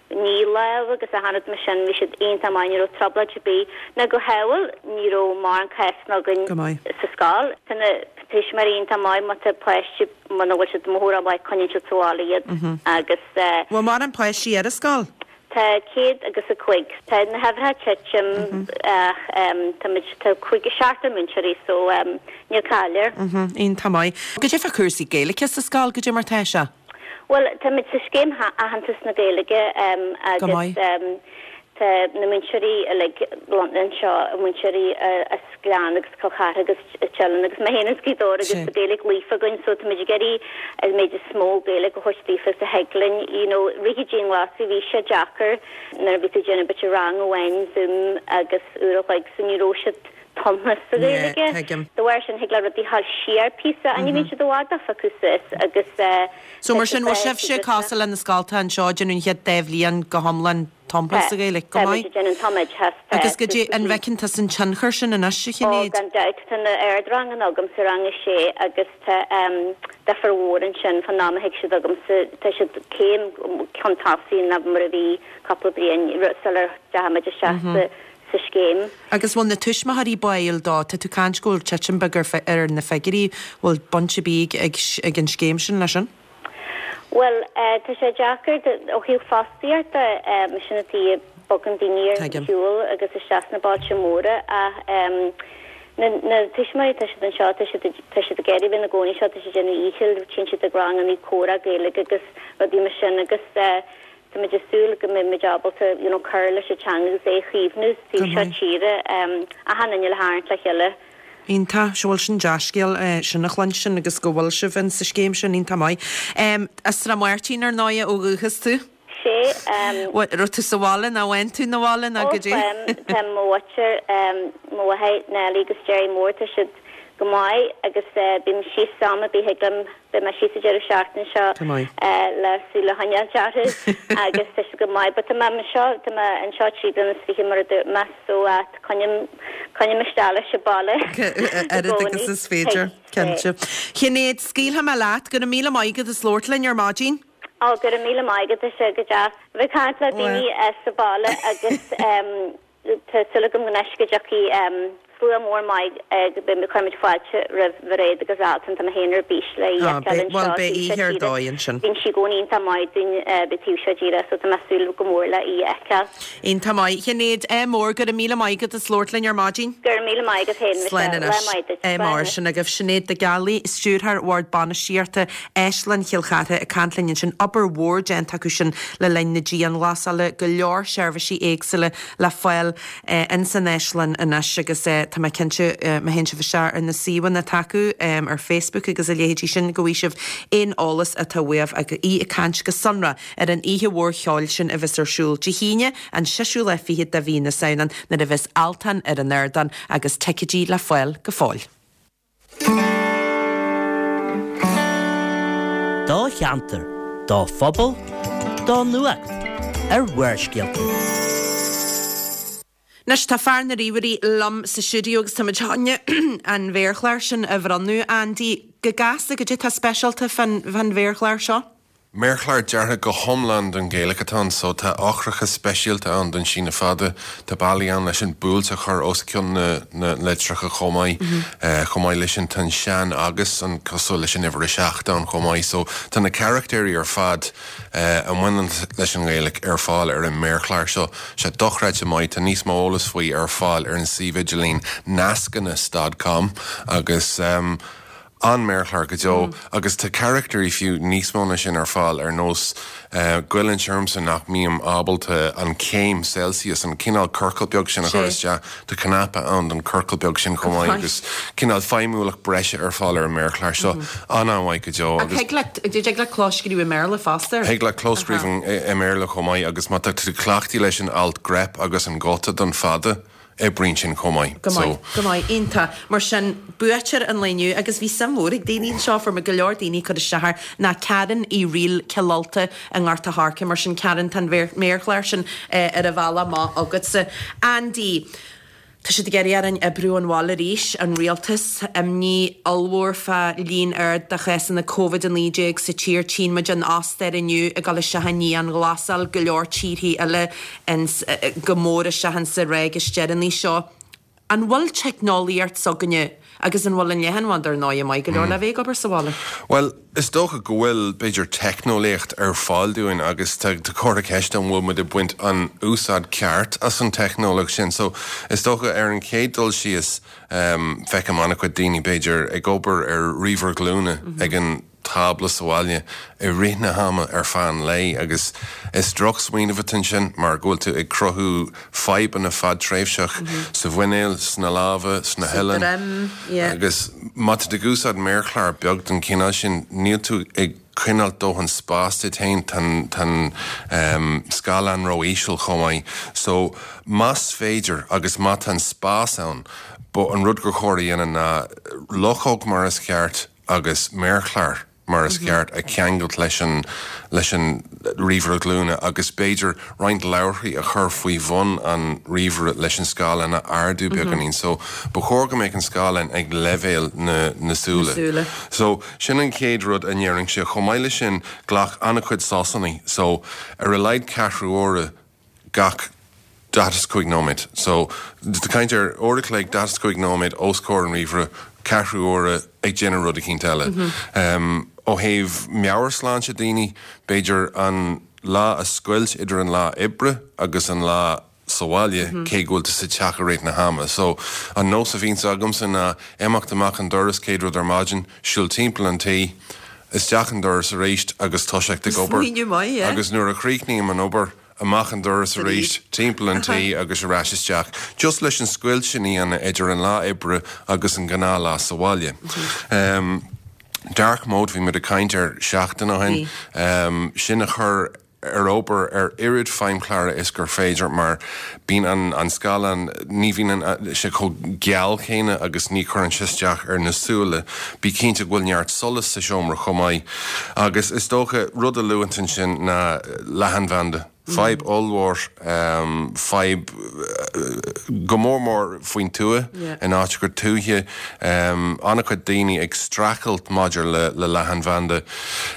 ní lámh agus achan rud mar sin, bhí siad iontach maith, ní raibh trioblóid ar bith. Ná go hamhail ní raibh mórán cásanna againn Go maith. sa scoil. Tá na tuismitheoirí iontach maith, má tá páiste, muna bhfuil siad amuigh rómhaith, coinníonn siad sa bhaile iad agus. Bhfuil mórán páistí ar an scoil? Tá céad agus a cúig. Tá na huimhreacha ag titim ach tá muid, tá cúig, seachtar múinteoirí so níl caill air. Iontach maith. Goidé fá chúrsaí Gaeilge sa scoil, goidé mar tá sé? Bhuel, táimid sa scéim Aitheantas na Gaeilge agus tá na múinteoirí uilig lonnaithe anseo, múinteoirí as Gleann agus Cill Chartha agus Teileann agus mé féin as Gaoth Dobhair agus tá Gaeilge líofa againn so táimid ag iarraidh an méid is mó Gaeilge a thabhairt daofa is a thig linn. You know, rith an dianghlasáil bhí sé deacair nuair a bhí tú ag déanamh b'fhéidir rang amháin Zoom agus uair a chloig so ní raibh siad tumtha sa Ghaeilge. De bharr sin, thig le rudaí dhul siar píosa, ní bhíonn siad i bhfad á phiocadh suas agus So mar sin, bhfuil sibhse cosúil le na scoltacha anseo, déanamh an chéad dá bhliain go hiomlán tumtha sa Ghaeilge. Go Tá maith. muid ag déanamh an tumoideachas. Tá Agus goidé an bhfeiceann tusa an tionchar sin anois, a Ó, Shinéad? gan dabht, tá na ardranganna agam sa rang a sé agus tá difear mhór ansin fán am a thig siad chugamsa, tá siad céim chun tosaigh ná mar a bhí cúpla bliain sular deachaigh muid isteach sa sa scéim. Agus bhfuil na tuismitheoirí báúil dó? Tá tú ag caint go bhfuil titim beag ar ar na figiúirí, bhfuil baint ar bith ag ag an scéim sin leis sin? Bhuel, tá sé deacair ó thaobh fostaíochta, sin an tuige a bogann daoine ar shiúl agus isteach sna bailte móra ach na na tuismitheoirí tá siad anseo, tá siad tá siad ag iarraidh bheith ina gcónaí anseo, tá siad ag déanamh a ndíchill, téann siad ag ranganna comhrá Gaeilge agus rudaí mar sin agus tá muid ag súil go mbeidh muid ábalta you know cur leis an teanga agus é a chaomhnú sa taobh seo tíre, achan duine le tharraingt le chéile. Iontach, sea bhuel sin dea-scéal sin a chluinstin agus go bhfuil sibh in sa scéim sin, iontach maith. As Srath Máirtín ar ndóighe ó dhúchas tú? Sé. Bhuel, raibh tú sa bhaile nó bhain tú na bhaile nó Ó, goidé? táim, tá mo mhuintir, mo mháthair Nellie agus Jerry Mór, tá siad go maith agus bím síos am ar bith a thig liom, beidh mé síos an deireadh seachtaine seo Go maith. le súil a choinneáil orthu agus tá siad go maith. But tá mé anseo, tá mé anseo trí bliana is fiche mar a dúirt mé so coinním, coinním isteach leis an baile i Oiread agus gcónaí. is féidir, cinnte. Shinéad, scaoilfidh mé leat, go raibh míle maith agat as labhairt linn ar maidin. Ó, go raibh míle maith agat, tá sé go deas a bheith ag caint le daoine sa bhaile agus tá súil agam anois go dtiocfaidh slua mór maith go mbeidh cuirfimid fáilte roimh Mhairéad agus Altan, tá mé féin ar bís le í a Ah, fheiceáil beidh, bhuel, anseo beidh taobh oíche seo ar tíre. dóigh ansin. Bíonn sí i gcónaí iontach maith dúinn bheith taobh seo tíre so tá mé ag súil go mór le í a fheiceáil. Iontach maith. Shinéad, ádh mór, go raibh míle maith agat as labhairt linn ar maidin. Go raibh míle maith agat féin, Slán Michelle. Lá anois. maith duit. Ádh Slán mór anois. sin agaibh. Sinéad de Gealaigh, Stiúrthóir Bhord Bainistíochta Áislann Chill Chartha ag caint linn ansin. Obair mhór déanta acu sin le linn na dianghlasála, go leor seirbhísí éagsúla le fáil in san áislann anois agus tá mé cinnte má théann sibh isteach ar na suíomhanna atá acu ar Facebook agus a leithéidí sin go bhfaighidh sibh aon eolas atá uaibh agus í ag caint go sonrath ar an oíche mhór cheoil sin a bheas ar siúl Dé hAoine an seisiú lá fichead de mhí na Samhna nuair a bheas Altan ar an ardán agus ticéidí le fáil go fóill. Do cheantar, do phobal, do nuacht ar Bharrscéalta. Anois tá fear na ríomhairí liom sa stiúideo agus táimid chun an mhéarchlár sin a bhronnadh, Andy. Go gasta, goidé tá speisialta fán mhéarchlár seo? Méarchlár deartha go hiomlán don Ghaeilge atá ann, so tá eochracha speisialta ann don síneadh fada, tá bealaí ann leis an buailte a chur os cionn na, na litreacha chomh maith. Mm -hmm. uh, chomh maith leis sin tá an sean agus an cosúil leis an uimhir a seacht ann chomh maith, so tá na carachtéirí ar fad uh, a bhaineann leis an nGaeilge ar fáil ar an méarchlár seo. Sé dochreidte maith tá níos mó eolas faoi ar fáil ar an suíomh idirlín nascanas.com agus um, an méarchlár go deo mm. agus tá carachtéirí fiú níos mó ná sin ar fáil ar nós uh, goilleann sé ormsa nach mbím ábalta an céim Celsius an cineál ciorcal beag sin a chur isteach tá cnaipe ann don ciorcal beag sin chomh maith agus cineál feidhmiúlacht breise ar fáil ar an méarchlár seo mm -hmm. an-mhaith go deo agus Thig le clóscríobh i mBéarla fosta. Thig le clóscríobh i mBéarla chomh maith agus má tá tú cleachtaithe leis an alt grep agus an guta don fada. oibríonn sin chomh maith. Go maith, go maith, iontach. Mar sin buaiteoir an lae inniu agus bhí suim mhór ag daoine anseo fuair mé go leor daoine cur isteach air ná Karen Uí Riail Cill Ulta i nGort a' Choirce mar sin Karen tá an méarchlár sin ar a bhealach amach agatsa. Andy, Tá siad ag iarraidh orainn oibriú ón bhaile arís, an rialtas, imní ollmhór fá líon ard de chásanna Covid a naoi déag sa tír. Tchíonn muid an Ostair inniu ag dul isteach i ndianghlasáil, go leor tíorthaí eile ins, go mór isteach insa ráig is deireanaí seo. An bhfuil teicneolaíocht s'againne agus an bhfuil an leathanbhanda ar ndóigh maith go leor le bheith ag obair sa bhaile? Well, is dócha go bhfuil b'fhéidir teicneolaíocht ar fáil dúinn agus tá comhartha ceiste an bhfuil muid ag baint an úsáid ceart as an teicneolaíocht sin. So is dócha ar an chéad dul síos um, feicim an-chuid daoine b'fhéidir ag obair ar ríomhaire glúine mm -hmm. ag an tábla sa bhaile i rith na hama ar feadh an lae agus is drochsmaoineamh atá ansin mar go bhfuil tú ag cruthú fadhbanna fadtréimhseach mm -hmm. sa mhuineál, sna lámha, sna huillinn agus má tá tú ag úsáid méarchlár beag den chineál sin níl tú ag coinneáil dóthain spás duit féin tá an um, scáileán ró-íseal chomh maith. So más féidir agus má tá an spás ann, bo an rud gur chóir a dhéanamh ná luchóg mar is ceart agus méarchlár mar is ceart a cheangailt leis an leis an ríomhaire glúine agus b'fhéidir roinnt leabharthaí a chur faoi bhun an ríomhaire leis an scáileán a ardú beagáinín. So ba chóir go mbeadh an scáileán ag leibhéal na na súile. Súile. So sin an chéad rud a ndéarfainnse. Chomh maith leis sin glac an-chuid sosanna. So ar a laghad ceathrú uaire gach daichead is cúig nóiméad. So tá caint ar uair a chloig daichead is cúig nóiméad os comhair an ríomhaire, ceathrú uaire ag déanamh rud eicínt eile. Um, ó thaobh meabhairshláinte daoine, b'fhéidir an lá a scoilt idir an lá oibre agus an lá sa bhaile cé go bhfuil tú sa teach i rith na hama. So an nós a bhíonns agamsa ná imeacht amach an doras céad rud ar maidin, siúl timpeall an tí, isteach an doras arís agus toiseacht ag obair. Smaoineamh maith, yeah. Agus nuair a chríochnaím an obair, amach an doras arís, timpeall an tí agus ar ais isteach. Just leis an scoilt sin a dhéanamh idir an lá oibre agus an gnáthlá sa bhaile. Um, dark mode bhí muid ag caint air seachtain ó shin. Um, sin a chur ar obair ar oiread feidhmchláir is gur féidir mar bíonn an, an scáileán ní bhíonn sé chomh geal céanna agus ní chuireann sé isteach ar na súile. Bí cinnte go bhfuil neart solas sa seomra chomh maith. Agus is dócha rud a luaigh ansin ná leathanbhanda. Fadhb ollmhór um, fadhb go mór mór faoin tuath Yeah. in áiteacha tuaithe um, an-chuid daoine ag streachailt maidir le, le leathanbhanda.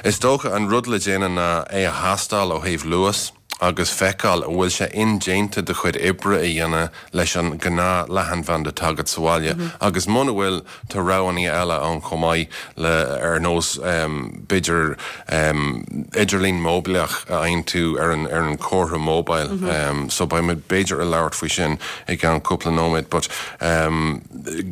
Is dócha an rud le déanamh ná é a thástáil ó thaobh luas agus feiceáil an bhfuil sé indéanta do chuid oibre a dhéanamh leis an gnáth leathanbhanda atá agat sa bhaile. Mm -hmm. Agus muna bhfuil tá roghanna eile ann chomh maith le ar nós um, b'fhéidir um, idirlíon móibíleach a fhaigheann tú ar an ar an comhartha mobile. Mm -hmm. um, so beidh muid b'fhéidir ag labhairt faoi sin i gceann cúpla nóiméad, but um,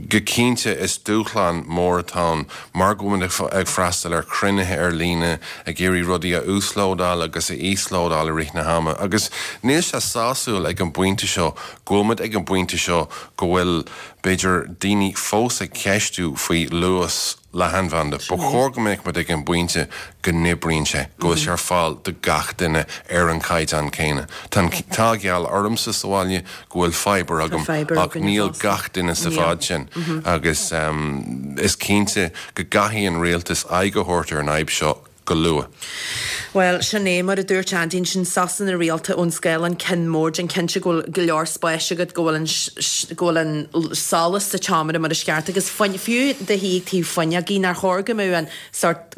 go cinnte is dúshlán mór atá ann mar go bhfuil ag ag freastal ar chruinnithe ar líne ag iarraidh rudaí a uaslódáil agus a íoslódáil i rith na hama. Agus níl sé sásúil ag an bpointe seo, go bhfuil muid ag an bpointe seo go bhfuil b'fhéidir daoine fós ag ceistiú faoi luas leathanbhanda. Ba chóir go mbeadh muid ag an bpointe go n-oibríonn sé, go bhfuil sé ar fáil do gach duine ar an caighdeán céanna. Tá an t-ádh geal ormsa sa bhaile go bhfuil fibre agam fibre ach againne níl fosta. gach duine sa Níl. fhad sin agus um, is cinnte go gcaithfidh an rialtas aghaidh a thabhairt ar an fhadhb seo go luath. Well, sin é mar a dúirt Andy sin sosanna rialta ón scáileán cinn mór an cinnte go bhfuil go leor spáis agat go bhfuil an sh- go bhfuil an l- solas sa tseomra mar is ceart agus fuin- fiú do shuí taobh fuinneoige nár chóir go mbeadh an sort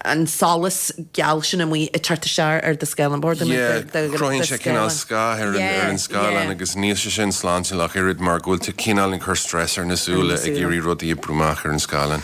an solas geal sin amuigh ag teacht isteach ar do scáileán board Yeah, cruthaíonn sé cineál scáth ar an, ar an scáileán agus níl sé sin sláintiúil ach oiread mar go bhfuil tú cineál ag cur stress ar na súile ag súile. iarraidh rudaí a bhrú amach ar an scáileán.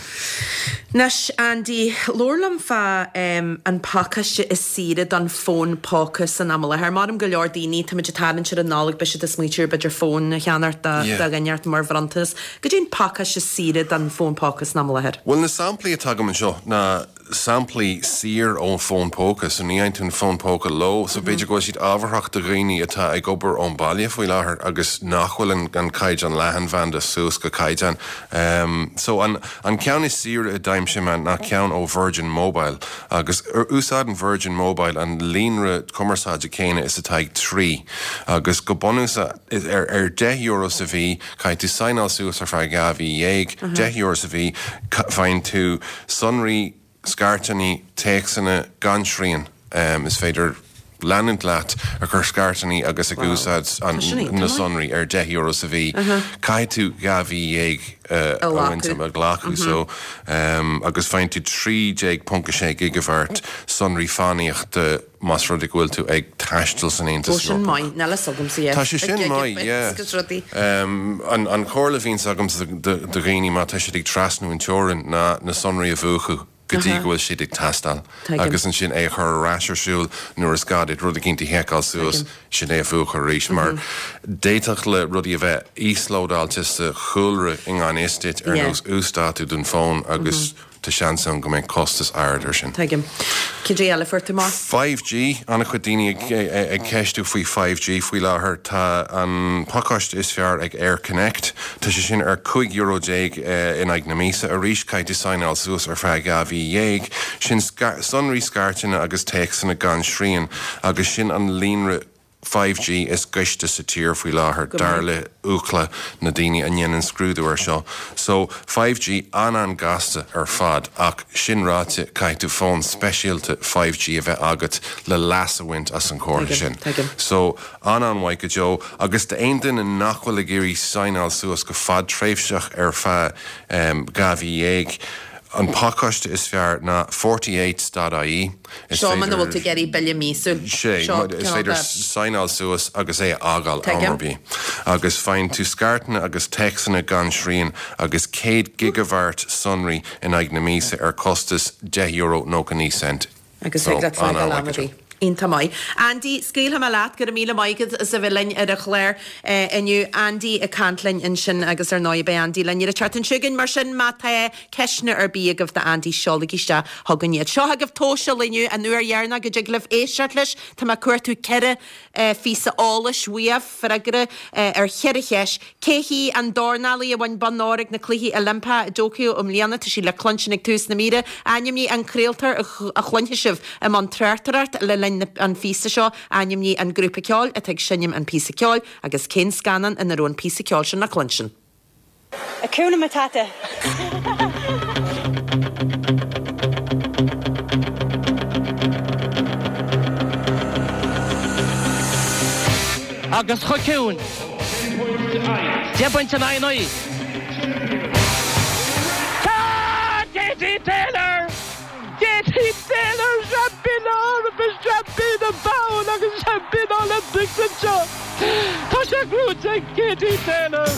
Anois Andy, labhair liom fá um, an pacáiste is saoire don fón póca san am i láthair. Maram go leor daoine tá muid ag tarraingt ar an Nollaig beidh siad ag smaointiú b'fhéidir fón a cheannacht do Yeah. do dhuine mar bhronntanas. Cad é an pacáiste is saoire don fón póca san am i láthair. Well na samplaí atá agam anseo ná samplaí saor ón fón póca, so ní fhaigheann tú an fón póca leo, so b'fhéidir go bhfuil siad ábharthach do dhaoine atá ag obair ón baile faoi láthair agus nach bhfuil an, an caighdeán leathanbhanda suas go caighdeán. Um, so an, an ceann is saoire a d'aimsigh mé ná ceann ó Virgin Mobile agus úsáideann Virgin Mobile an líonra cumarsáide céanna is atá ag trí agus go bunúsach ar, ar deich euro sa mhí caithfidh tú signáil suas ar feadh dhá mhí dhéag, deich euro sa mhí faigheann tú sonraí scairteanna téacsanna gan srian um, is féidir leanúint leat a chur scairteanna agus ag úsáid an, Tá sin iontach na maith. sonraí ar deich euro sa mhí. Caithfidh tú dhá mhí dhéag uh, A a ghlacadh. bhaint a ghlacadh so um, agus faigheann tú trí déag ponc sé gigabhairt sonraí fánaíochta más rud é go bhfuil tú ag taisteal san Ó Aontas sin Eorpach. maith, níl a fhios agamsa Tá sé sin maith, yeah. Agus rudaí. Um, an, an chomhairle a bhíonns agam do do dhaoine má tá siad ag trasnú an teorainn ná na sonraí a mhúchadh go dtí go bhfuil siad ag taisteal. Tuigim. Agus ansin é a chur ar ais ar siúl nuair is gá duit rud éicint a sheiceáil suas sin é a mhúchadh arís mar d'fhéadfadh le rudaí a bheith íoslódáilte sa chúlra i ngan fhios duit ar Yeah. nós uasdátú don fón agus tá seans ann go mbeidh costas ard ar sin. Tuigim. Cad é eile a fuair tú amach? five G an-chuid daoine ag, ag, ag ceistiú faoi five G faoi láthair tá an pacáiste is fearr ag Air Connect Tá sé sin ar cúig euro déag eh, in aghaidh na míosa arís caithfidh tú signáil suas ar feadh dhá mhí dhéag sin sonraí scairteanna agus téacsanna gan srian agus sin an líonra five G is gaiste sa tír faoi láthair, dar le Ookla, na daoine a ndéanann scrúdú air seo. So, five G an-an-gasta ar fad, ach sin ráite, caithfidh tú fón speisialta five G a bheith agat le leas a bhaint as an chomhartha sin. So, an-an-mhaith go deo, agus d'aon duine nach bhfuil ag iarraidh saighneáil suas go fadtréimhseach ar feadh dhá mhí dhéag, an pacáiste is fearr ná forty eight dot ie. Seo muna bhfuil tú ag iarraidh bille míosúil. Sé, is féidir saighneáil suas agus é a fhágáil am ar bith. Agus faigheann tú scairteanna agus téacsanna gan srian agus céad gigabhairt sonraí in aghaidh na míosa ar costas deich euro nócha naoi cent. Agus thig leat fágáil am ar bith. Iontach maith. Andy, scaoilfidh mé leat, go raibh míle maith agat as a bheith linn ar an chlár inniu. Andy ag caint linn ansin agus ar ndóigh beidh Andy linn ar an tseachtain seo chugainn. Mar sin má tá ceisteanna ar bith agaibh do Andy, seolaigí isteach chugainn iad. Seo agaibh tomhas an lae inniu, an uair dheireanach go dtig libh éisteacht leis. Tá mé ag cuartú ceithre phíosa eolais uaibh, freagra ar cheithre cheist. Cé hí an dornálaí a bhain bonn óir ag na Cluichí Oilimpeacha i dTóiceo i mbliana? Tá sí le cluinstin ag tús na míre. Ainmnigh an craoltóir a chluinfidh sibh i mbun tráchtaireacht le linn an phíosa seo. Ainmnigh an grúpa ceoil atá ag seinm an píosa ceoil agus cén scannán ina raibh an píosa ceoil sin le cluinstin. Hakuna Matata. Agus chomh ciúin. Deich bpointe in aghaidh naoi. Tá Katie Taylor! Katie Taylor seaimpín na hEorpa, seaimpín an domhain agus seaimpín Olympics anseo! Tá sé gnóite ag Katie Taylor!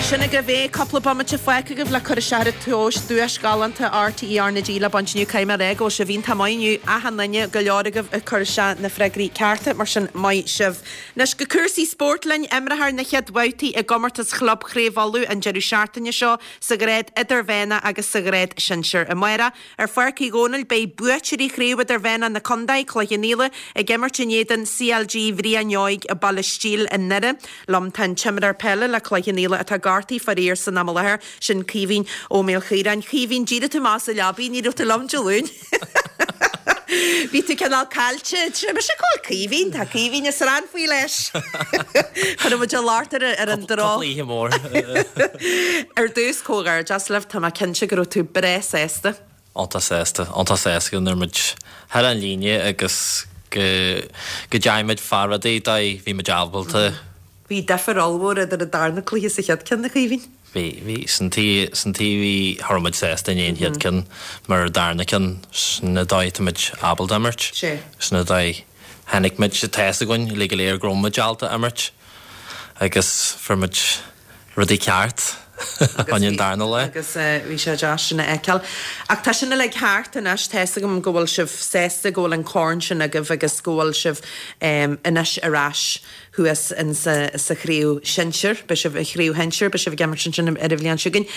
Sin agaibh é, cúpla bomaite fágtha agaibh le cur isteach ar an tomhas, duais ghalánta RTÉ R na G le baint inniu. Caithfidh mé a rá go bhfuil sibh iontach maith inniu, achan duine, go leor agaibh ag cur isteach na freagraí cearta, mar sin maith sibh. Anois go cúrsaí spóirt linn, imreofar na chéad bhabhtaí i gcomórtas Chlub Chraobh Uladh an deireadh seachtaine seo sa ghrád idirmheánach agus sa ghrád sinsir. Amárach, ar Pháirc Uí Dhónaill, beidh buaiteoirí Chraobh Idirmheánach na Contae, Cloich Cheann Fhaola, ag imirt in éadan C L G Bhriain Óig i Baile Stíl i nDoire. Liom tá an t-imreoir peile le Cloich Cheann Fhaola atá gortaithe faraor san am i láthair, sin Caoimhín Ó Maolchiaráin. Caoimhín, d'éirigh tú amach as an leabaidh, ní raibh tú liom Dé Luain. Bhí tú cineál caillte. Tá mise cá bhfuil Caoimhín, tá Caoimhín is rannfaoi leis. Chuir muid an locht ar ar an dro. Cúpla oíche mór. Ar dtús comhghairdeas libh, tá mé cinnte go raibh tú breá sásta. Iontach sásta, iontach sásta go raibh muid thar an líne agus go go dteachaigh muid fá rudaí dóigh bhí muid ábalta. Bhí difear ollmhór idir an darna cluiche is an chéad ceann, a Chaoimhín. Bhí, bhí, san taobh, san taobh bhí, cha raibh muid sásta i ndiaidh an chéad ceann, mar an darna ceann, sin an dóigh atá muid ábalta imirt. Sé. Sin an dóigh, chonaic muid, tá fhios againn uilig go léir go raibh muid ábalta imirt agus fuair muid rudaí ceart an an darna lá. Agus bhí sé deas sin a fheiceáil. Ach tá sin uilig thart anois, tá fhios agam go bhfuil sibh sásta go bhfuil an corn sin agaibh agus go bhfuil sibh anois ar ais thuas in sa, sa chraobh shinsir, beidh sibh i chraobh shinsir, beidh sibh ag imirt ansin ar an bhliain seo chugainn.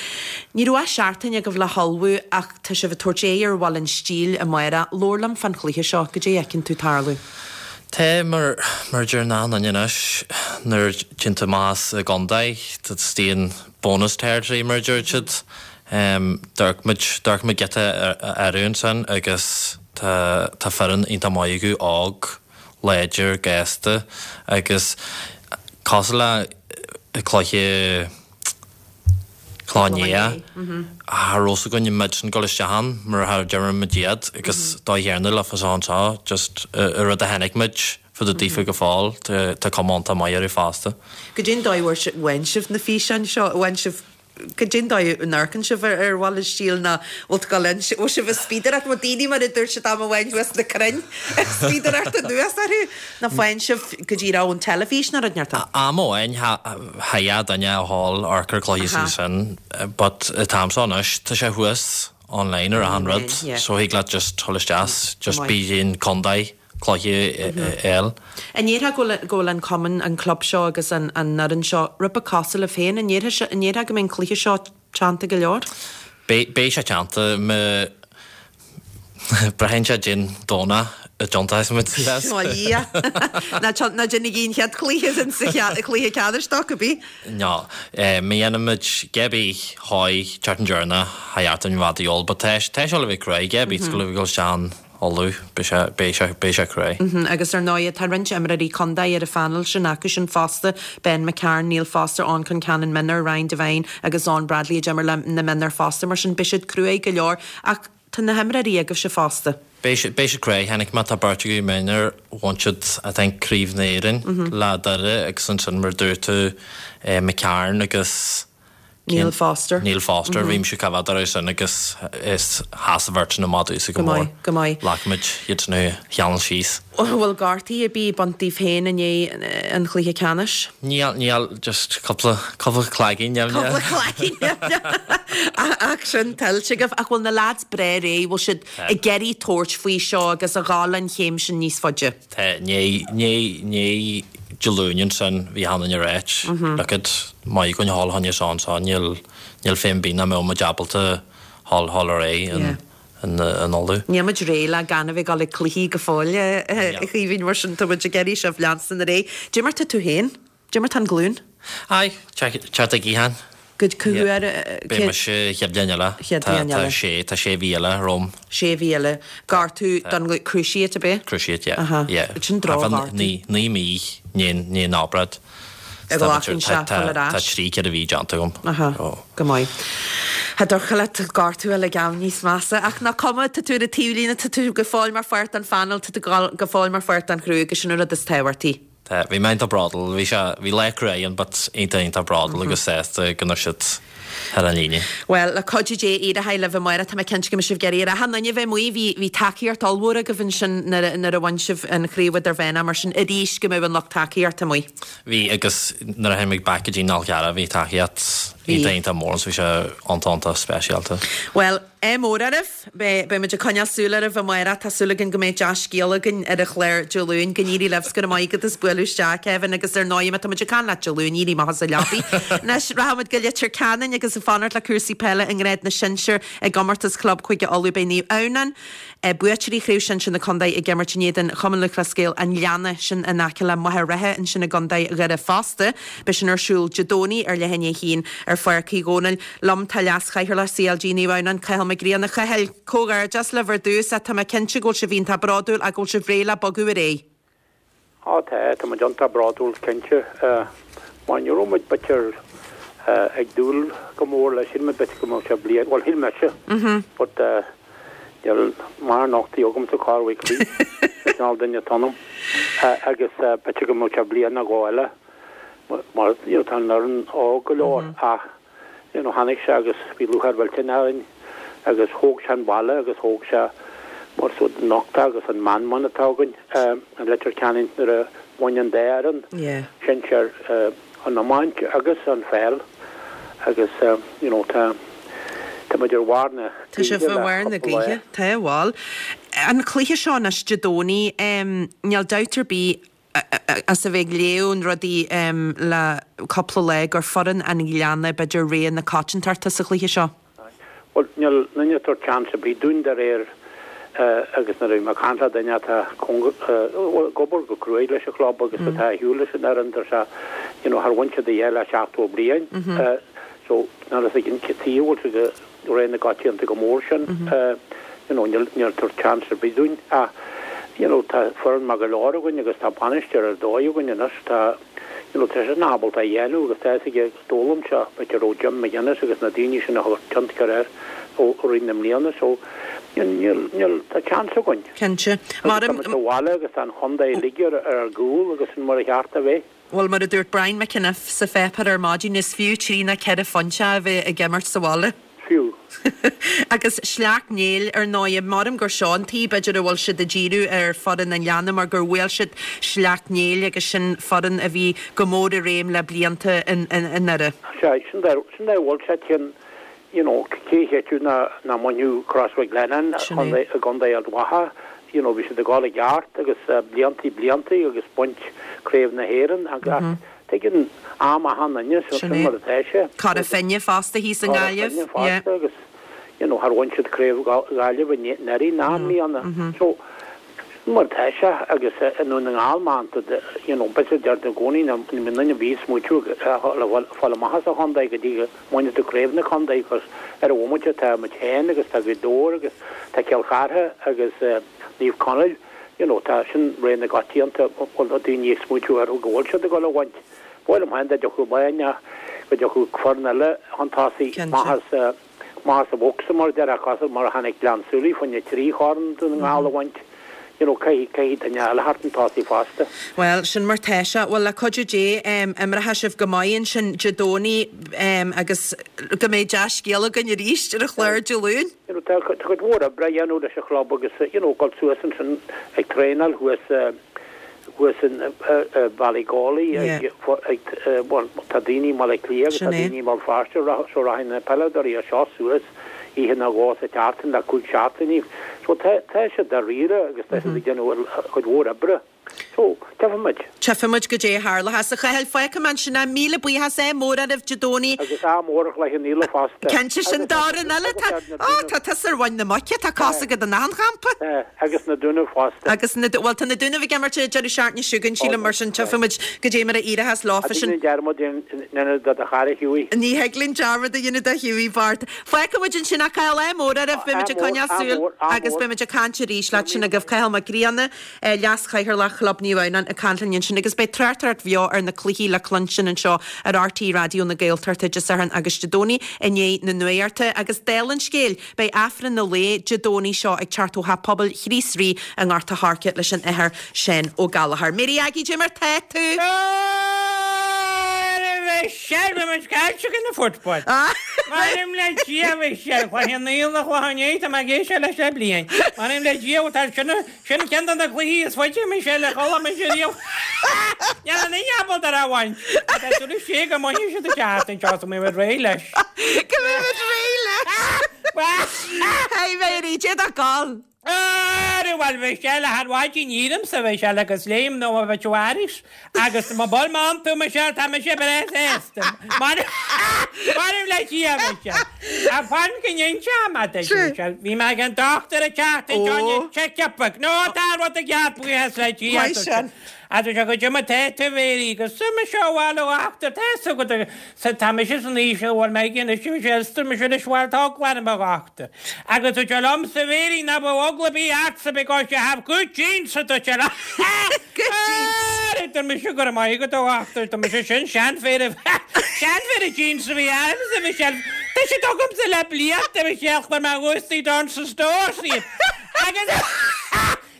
Ní raibh ach seachtain agaibh le hullmhú ach tá sibh ag tabhairt aghaidh ar Bhaile an Stíl amárach. Labhair liom fán chluiche seo, goidé a fheiceann tú tarlú. Tá, mar mar a deir achan duine anois, nuair a téann tú amach as an gcontae, tá an bonus territory mar a deir siad. D'amharc muid, d'amharc muid giota orthu ansin agus tá tá foireann iontach maith acu, óg, láidir, gasta agus cosúil le cluiche Cloich Cheann Fhaola, cha raibh fhios againn an mbeadh sin dul isteach ann mar a d'imir muid iad agus dóigh chéanna le fá anseo, just an rud a chonaic muid fá dtaobh daofa go fóill, tá cuma iontach maith orthu fosta. Goidé an dóigh a bhfaigheann sibh na físeáin seo, bhfaigheann sibh, goidé an dóigh a n-amharcann sibh ar ar Bhaile an Stíl ná bhfuil tú ag dul ann, bhfuil sibh ag spíodaireacht, bhfuil daoine mar a dúirt siad am amháin thuas na crainn ag spíodaireacht anuas orthu, nó faigheann sibh go díreach ón teilifís nó rud inteacht? Am amháin thagadh duine a dhul amharc ar cluiche sin, but an t-am seo anois tá sé thuas online ar achan rud so thig leat just dul isteach, just bí in contae cluiche eile. An ndéarfá go bhfuil go bhfuil an cumann, an club seo agus an an fhoireann seo rud beag cosúil libh féin? An ndéarfá an ndéarfá go mbeidh an cluiche seo teannta go leor? Beidh beidh sé teannta. Má Braitheann sé cén Domhnach a dtiontaíos muid leis. Ó Dhia! Ná ná déanaigí an chéad chluiche sin sa chluiche ceannais dó, cibé. No, má dhéanaimid cibé dhóigh teacht an deireanach tha dheart an bhfad a dhul, but tá tá sé le bheith cruaidh, cibé go bhfuil sé an Uladh, beidh sé beidh sé beidh sé cruaidh. Agus ar ndóigh tá roinnt imreoirí contae ar an phainéal sin acu sin fosta, Ben McCarron, Neil Foster, Eoin Concannon Mionúir, Ryan Devine agus Eoin Bradley a d'imir le na mionúir fosta, mar sin beidh siad cruaidh go leor. Ach tá na himreoirí agaibhse fosta. Beidh siad beidh siad cruaidh, chonaic mé tá beirt agaibh mionúir, bhain siad I think Craobh na hÉireann le Doire agus ansin mar dúirt tú McCarron agus Neil Foster. Neil Foster, bhí mise cá bhfeadar é sin agus is sheas an bheirt sin amach domhsa go Go mór. maith, go maith. Ghlac muid iad sin a cheangal síos. Bhfuil gortaí ar bith bainte díbh féin i ndiaidh an chluiche ceannais? Níl, níl, just cúpla, cúpla claigín, Cúpla claigín, ach sin tuillte agaibh. Ach bhfuil na lads breá réidh, bhfuil siad ag iarraidh tabhairt faoi seo agus a dhul an chéim sin níos faide? Tá, ní, ní, ní Dé Luain ansin bhí Hannah ar áit. Look at maith againn thall tháinig seo anseo, níl, níl féin bith nach mbeadh muid ábalta thall, thall ar aghaidh in, in, in Uladh. Níl muid réidh le gan a bheith ag dul ag cluichí go fóill, a Chaoimhín, mar sin tá muid ag iarraidh sibh leanstan ar aghaidh. Cad é mar tá tú féin? Cad é mar tá an glún? Aye, teacht ag Ethan. Go cá huair? Beidh mise chéad bhliain eile. Chéad bhliain eile. Tá sé, tá sé mhí eile romham. Sé mhí eile. Gortú don cruciate ab é? Cruciate, yeah. Aha. Yeah. Sin drochghortú. Naoi, naoi mí i ndiaidh an obráid. Ag glacann sé fáil ar ais. Tá trí ceithre mhí déanta agam. Aha. Go maith. Tá dorcha leat gortú eile gan níos measa. Ach nach cuma, tá tú ar an taobhlíne, tá tú go fóill mar pháirt den phainéal, tá tú go fóill mar pháirt den chriú agus sin an rud is tábhachtaí. Tá, bhí mé iontach bródúil, bhí sé, bhí lá cruaidh ann but iontach iontach bródúil agus sásta go raibh siad ar an líne. Bhuel, le cuidiú Dé, éireoidh libh amárach, tá mé cinnte go mbeidh sibh ag iarraidh ar achan duine a bheith amuigh, bhí, bhí tacaíocht ollmhór agaibh ansin nuair a, nuair a bhain sibh an chraobh idirmheánach, mar sin arís go mbeidh an lucht tacaíochta amuigh. Bhí, agus nuair a tháinig muid back go dtí an Fhál Carrach bhí tacaíocht iontach iontach mór so bhí sé iontach iontach speisialta. Bhuel, ádh mór oraibh. Beidh beidh muid ag coinneáil súil oraibh amárach. Tá súil againn go mbeidh dea-scéal againn ar an chlár Dé Luain. Go n-éirí libh 's go raibh maith agat as bualadh isteach, Kevin, agus ar ndóigh má tá muid ag caint leat Dé Luain, éirí amach as an leapaidh. Anois, rachaimid go Leitir Ceanainn agus ag fanacht le cúrsaí peile i ngrád na sinsear i gcomórtas Chlub Chúige Uladh. Beidh Naomh Adhamhnáin, buaiteoirí Chraobh Shinsir na Contae ag imirt in éadan Chumann Lúthchleas Gael an Ghleanna, sin in aice le Machaire Rátha ansin i gContae Dhoire fosta. Beidh sin ar siúl Dé Domhnaigh ar leath i ndiaidh a haon ar Pháirc Uí Dhónaill. Liom tá Leas-Chathaoirleach CLG Naomh Adhamhnáin, Cathal Mac Grianna. Cathail, comhghairdeas libh ar dtús ach tá mé cinnte go bhfuil sibh iontach bródúil ach go bhfuil sibh réidh le bogadh ar aghaidh. Á tá, tá muid iontach bródúil cinnte. Mar ní raibh muid b'fhéidir ag dúil go mór leis, shíl muid b'fhéidir go mbeadh sé bliain, bhuel shíl mise, but níl mar nochtaí agamsa cá bhfuil croí, sin cineál duine atá ionam. Agus b'fhéidir go mbeadh sé bliain nó dhó eile mar you know tá an fhoireann óg go leor ach you know tháinig sé agus bhí lúcháir mhillteanach orainn agus thóg sé an baile agus thóg sé mar so nochtadh agus an meanman atá againn i Leitir Ceanainn nuair a bhain an dá fhoireann sinsear an iomáint agus an pheil agus you know tá tá muid ar bharr na Tá sibh gaoithe ar le bharr na cúpla lá. gaoithe, tá, bhuel. An cluiche seo anois Dé Domhnaigh, níl dabht ar bith as a bheith ag léamh na rudaí le cúpla lá gur foireann an Ghleanna b'fhéidir rogha na coitiantachta sa chluiche seo. Bhuel, níl duine ag tabhairt seans ar bith dúinn de réir agus nuair a bhí mé ag caint le duine atá bhuel, ag obair go cruaidh leis an chlub agus atá ar shiúl leis an fhoireann, deir sé, you know, char bhain siad a dhath le seachtó bliain. So, níl a fhios againn cé taobh a bhfuil siad i rogha na coitianta go mór sin, you know, níl níl tabhairt seans ar bith dúinn. Ach, you know, tá foireann maith go leor againn agus tá bainisteoir ar dóigh againn anois, tá, you know, tá seisean ábalta a dhéanamh agus tá a fhios aige, d'fhoghlaim sé, b'fhéidir ó Jim McGuinness agus na daoine sin a chuir tionchar air ó rith na mbliana so, níl, níl, tá seans againn. Cinnte. Agus tá muid sa bhaile agus tá an chontae uilig ar ár gcúl agus sin mar a cheart a bheith. Bhuel, mar a dúirt Brian McEniff sa pháipéar ar maidin, is fiú trí nó ceithre phointe a bheith ag imirt sa bhaile. Fiú. Agus Sleacht Néill, ar ndóigh, maram gur seo an taobh, b'fhéidir a bhfuil siad ag díriú ar foireann an Ghleanna mar gur bhuail siad Sleacht Néill agus sin foireann a bhí go mór i réim le blianta i nDoire. Sea, sin dá sin dá bhfuil sé cionn, you know, cé a chreidfeadh nach mbainfeadh Crossmaglennan Sin é. i gContae Ard Mhacha, you know, bhí siad ag dul i gceart agus bliantaí bliantaí agus baint Craobh na hÉireann agus tuigeann am achan duine, so Sin sin é. mar atá sé. Cora Finne fosta thíos i Cora nGaillimh, Finne yeah. fosta agus you know, char bhain siad craobh Ghaillimh anuraidh ná i mbliana. So, sin mar atá sé agus i nDún na nGall man, you know, b'fhéidir deirtear i gcónaí ná ní bhíonn duine ar bith ag smaoitiú le fáil amach as an chontae go dtí go mbaineann tú craobh na contae cos ar an bhomaite tá muid féin agus tá Gaoth Dobhair agus tá Cill Chartha agus Naomh Conaill, you know, tá sin réidh na gcoitianta bhfuil daoine ag smaoitiú orthu go bhfuil siad ag dul a bhaint. Bhuel, am féin dá dtiocfadh lá ná go dtiocfadh foireann eile chun tosaigh amach as amach as an bhocsa mar a déarfá cosúil mar a tháinig Gleann tSúilí fá choinne trí chorn Dún na nGall a bhaint, you know, caithfidh caithfidh duine eile theacht chun tosaigh fosta. Bhuel, sin mar tá sé. Bhuel, le cuidiú Dé, imreoidh sibh go maith ansin Dé Domhnaigh agus go mbeidh dea-scéal againn arís ar an chlár Dé Luain. You know, tá tá cuid mhór oibre á dhéanamh leis an chlub agus, you know, dul suas ansin ag traenáil thuas thuas in Ballygawley ag ag bhuel, tá daoine i mBaile Átha Cliath agus tá daoine i mBéal Feirste so rachaidh na peileadóirí as seo suas oíche nó dhó sa tseachtain le cúig seachtainí. So tá tá siad dáiríre agus tá siad ag déanamh cuid mhór oibre. So, tchífimid. Tchífimid goidé a tharlóchas. A Chathail, fágfaidh mé ansin é. Míle buíochas ádh mór oraibh Dé Domhnaigh. Agus ádh mór ar Chloich Cheann Fhaola fosta. Cinnte sin d'fhoireann eile. Tá, á, tá tusa ar mhuin na muice, tá cos agat in achan champa. Tá, agus na Dúnaibh fosta. Agus na, bhuel tá na Dúnaibh ag imirt an deireadh seachtaine seo chugainn, sílim, mar sin tchífimid goidé mar a éireochas leofa sin. Ní dearmad a dhéanamh de do chara Hughie. Ní thig linn dearmad a dhéanamh de Hughie Bart. Fágfaimid ansin é, Cathal, ádh mór oraibh, beimid ag coinneáil súil agus beimid ag caint arís leat sin agaibh. Cathal Mac Grianna, Leas-Chathaoirleach Chlub Naomh Adhamhnáin ag caint linn ansin agus beidh tráchtaireacht bheo ar na cluichí le cluinstin anseo ar RTÉ Raidió na Gaeltachta Dé Sathairn agus Dé Domhnaigh i ndiaidh na nuachta agus dála an scéil beidh Aifreann an lae Dé Domhnaigh seo ag teacht ó Theach Pobail Chríost Rí i nGort a' Choirce leis an Athair Seán Ó Gallchóir. Mary Aggie, goidé mar tá tú? Michelle, bhí muid caillte ag na football. M'anam le Dia, Michelle, Chloich Cheann Fhaola, Chloich Cheann Tá mé ag éisteacht leis le bliain. M'anam le Dia, tá sin sin ceann de na cluichí is faide, Michelle, a chuala mise riamh. Níl aon duine ábalta ar a bhaint. Tá súil sé go mbainfidh siad an tseachtain seo, so mbeidh muid réidh leis. Go mbeidh muid réidh leis. Hey Mary, cé tá gal? Ara bhuel Michelle, a mhaidin iarmsa Michelle agus léim nó a bheith aris agus má bhfuil mé iontu Michelle tá mise breá sásta. M'anam le Dia Michelle. A fan go n-inseoidh mé duit Michelle, bhí mé ag an dochtúir an tseachtain seo ag check-up nó tá rud i gceart buíochas le Dia. Maith sin. Agus sé goidé mar tá tú a Mhéirí agus tá mise bhuel a dhochtúir tá fhios agat agus tá mise san aois a bhfuil mé ag anois Michelle is tá mise anois bhuel tá eagla orm a dhochtúir. Agus dúirt sé liomsa a Mhéirí ná beadh eagla ar bith ortsa because you have good genes a dúirt sé liom. Good genes. Ara dúirt mise go raibh maith agat a dhochtúir dúirt mise sin seanphéire seanphéire jeans a bhí ormsa Michelle tá siad agamsa le blianta Michelle chuir mé thuas down sa stór iad. Agus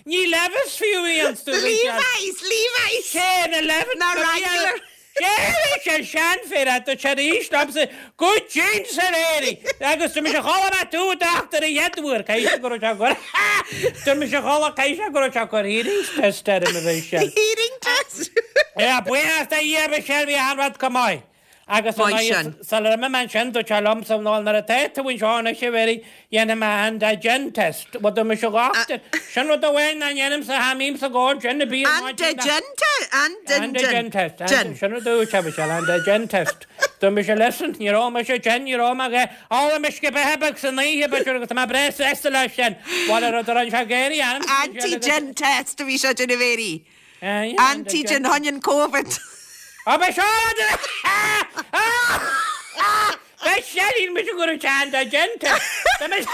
Ní Levis fiú í an stúr. Levi's, Levi's! Sé na Levis. Na Wrangler. Sé sé seanphéire tá sé arís liomsa good genes a Mhéirí agus tá mise chuala mé tú dochtúir a chéad uair caithfidh sé go raibh sé ag cur Tá mise chuala caithfidh sé go raibh sé ag cur hearing test orm a Mhichelle. Hearing test? Yeah, buíochas do Dhia Michelle bhí an rud go maith. Agus Maith sin. sular imigh mé ansin dúirt sé liomsa nó nuair atá tú anseo anois a Mhéirí dhéanfaidh mé antigen test. Bhuel dúirt mise a dhochtúir sin rud amháin nach ndéanaimse cha mbímse ag ól gin ar bith ar maidin. Antigen test? Antigen test. Sin rud a dúirt sé Michelle antigen test. Dúirt mise listen níor ól mise gin níor ól mé a dhath ólaim uisce beatha beag san oíche b'fhéidir agus tá mé breá sásta leis sin. Bhuel an rud a rinne sé géirí ormsa Michelle agus Antigen test a bhí sé ag déanamh a Mhéirí. Antigen choinne Covid. Á beidh seo Beidh sé níl mise go raibh antigen test. Antigen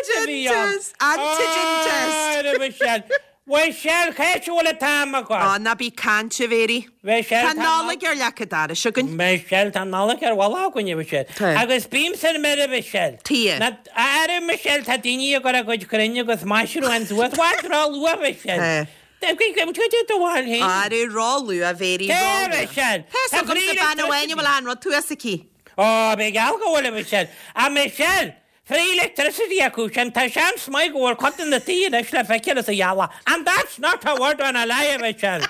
test. Antigen test. Michelle. Michelle cé bhfuil an t-am agat? Á ná bí ag caint a Mhéirí. Michelle Tá Nollaig ar leac an dorais againn. Michelle tá Nollaig ar bhalla againn Michelle. Tá. Agus bímse ar mire Michelle. Tá. Na ara Michelle tá daoine ag cur a gcuid crainn agus maisiúcháin suas bhfuil ró-luath Michelle. Tá. Tá do bhfuil féin. Ara ró-luath a Mhéirí Cé ró-luath. Michelle? Tá Tá agamsa bean amháin a bhfuil an rud thuas aici. Ó, b'é geall go bhfuil a Michelle. A Michelle, free electricity acu sin, tá seans maith go bhfuil cuid de na tithe anois le feiceáil sa ghealach. And that's not a word on a lie, Michelle.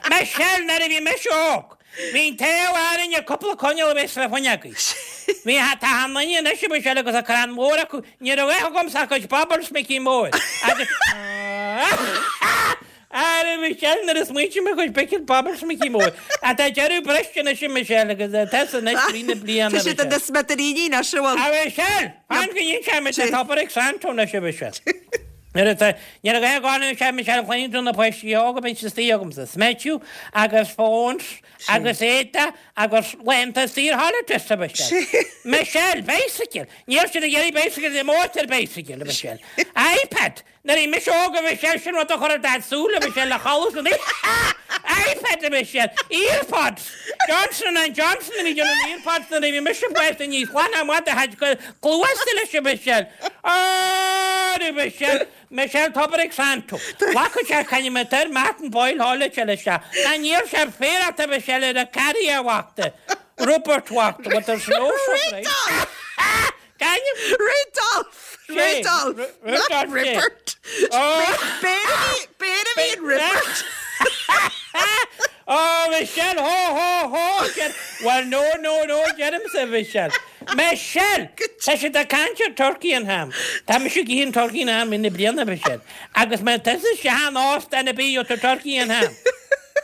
Michelle, nuair a bhí mise óg, bhí an t-ádh orainn cúpla coinneal a bheith sna fuinneogaí. Bhí tá an duine anois a Michelle agus a crann mór acu, ní raibh acu agamsa ach cuid baubles Mickey Mór. Agus Á, Michelle, nuair a smaointigh mé chuid bicil Bubbles Mickey Mór. Ach tá deireadh briste anois a Michelle agus tá anois trí na bliana Tá siad ina smidiríní anois, an bhfuil? A Michelle! Fan go ndéan sé tá tobar ag Santo anois a Michelle. Nuair atá, nuair a ghaibh gána sé Michelle chluineann tú na páistí óga bíonn siad istigh agamsa. Smideadh agus phones agus éadaí agus laethanta saor holidays a Michelle. Michelle, bicycle! Níl siad ag iarraidh bicycle, the motor bicycle a Michelle. iPad! Nuair a bhí mise óg a Michelle, sin rud a chuir ar Daid súil a Michelle le chodladh san oíche. iPad a Michelle! Earpods! Johnson and Johnson a bhí ag déanamh na earpods nuair a bhí mise fásta níos glan amach do chuid cluasa leis a Michelle. Á, a Michelle! Michelle tobar ag Santo. Ghlacadh sé caithfidh mé Martin Boyle thall leis isteach. Ná níor sé féarach a Michelle ar a carrier bhachta. Rupert bhachta, what there's no surprise. Caithfidh. Rudolph! Rudolph! Not Rupert! B'fhéidir a bhí in Rupert! Oh, Michelle, ho, ho, ho! Well, no, no, no, deirimse, Michelle. Michelle! Tá siad ag caint ar turkey and ham. Tá mise ag ithe an turkey and ham ina bliana, Michelle. Agus má tusa isteach in óstán ar bith gheobhaidh tú turkey and ham.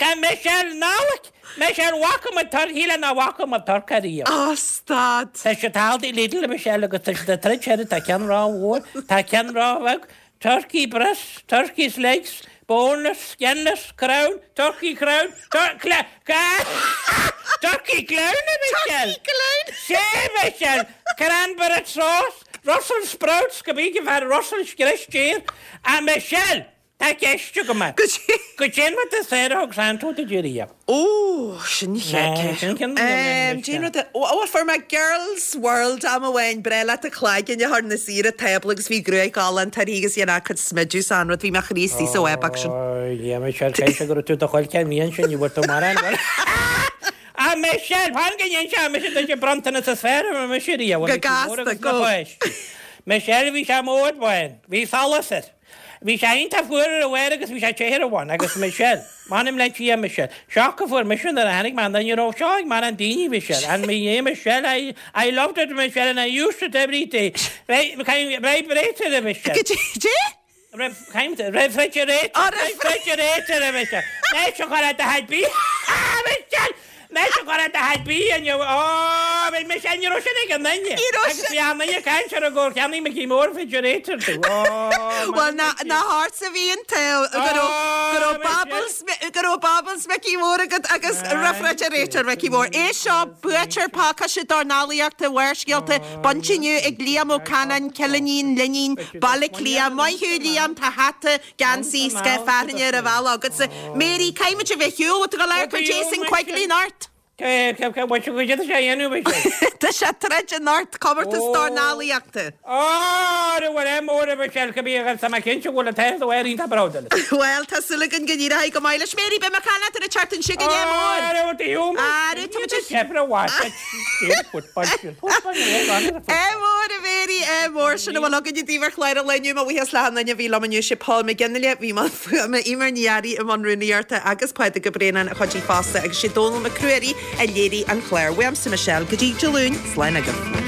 Tá Michelle Nollaig! Michelle, bhfaca muid turkey le ná bhfaca muid turkey riamh. Oh, stad! Tá siad Aldi Lidl, Michelle, agus tá siad ag troid air, tá ceann ró-mhór, tá ceann ró-bheag. Turkey breast, turkey's legs, boneless, skinless, crown, turkey crown, tur cla turkey clown, a Michelle! Turkey clown! Sé, Michelle! Cranberry sauce, Brussels sprouts, go bíonn fear Brussels scrios A Michelle! Tá ceist agam. Goidé an rud is fearr a thug Santo duit riamh. Ó, sin Cén rud ó fuair mé Girls World am amháin breá leat a cloigeann a chur na saoire tábla agus bhí gruaig álainn uirthi agus dhéanamh a cuid smideadh san rud bhí mé chríostaí sa webach sin. Ó, Michelle, cé go raibh tú do chuil cén mhian sin, ní bhfuair tú mórán. A Michelle, fan go ndéan sé mise duit bronntanas is fearr a mise riamh. Go gasta, go. Michelle, bhí sé mór bháin, bhí solas air. Bhí sé iontach fuar ar a bharr agus bhí sé te ar a bhun agus Michelle, m'anam le Dia Michelle, shock a fuair mise nuair a tháinig mé ann, ní raibh seo ag mórán daoine Michelle, and me yeah Michelle, I, I loved it Michelle and I used it every day. Vibrator Michelle. Goidé? Refrigerator. Refrigerator Michelle. Leis an chur do thaid bí. Michelle! Leis an chur do thaid bí inniu. Ó, bhí Michelle, ní raibh sin ag an duine. Ní raibh Agus bhí an duine caint ar an gcóir cheannaigh Mickey Mór refrigerator tú. Ó, Well, na na hearts a bhí an t-ádh go raibh go raibh Bubbles go raibh Bubbles Mickey Mór agat agus refrigerator Mickey Mór. É seo buaiteoir pacáiste dornálaíochta Bharrscéalta bainte inniu ag Liam Ó Canáin, Cill Iníon Luinín, Baile Átha Cliath. Maith thú Liam, tá hata, geansaí, scoth fearthainne ar an bhealach agatsa. Mary, caithfimid a bheith ar shiúl, bhfuil tú ag dul amharc ar Jason Quigley anocht? Cé cé cé bhfuil sé sé dhéanamh Michelle? Tá sé ag troid anocht comórtas dornálaíochta. Ó, bhfuil é mór a Michelle go bí agus tá mé cinnte go bhfuil an t-aon do iontach bródúil. Well, tá súil againn go n-éireoidh go maith leis. Mary, beidh mé ag caint leat ar an tseachtain seo chugainn, ádh mór. Ara, tá muid Ádh mór a Mary, ádh mór sin a bhfuil againn i dtaobh ar chlár an lae inniu. Mo bhuíochas le hachan duine a bhí liom inniu, sé Paul McGinley, bhí i mbun fuaime, Eimear Ní Fhearraigh i mbun rúnaíochta agus Pádraig Ó Braonáin a chuidigh fosta agus sé Dónal Mac Ruairí a léirigh an clár. Uaimse Michelle go dtí Dé Luain, slán agaibh.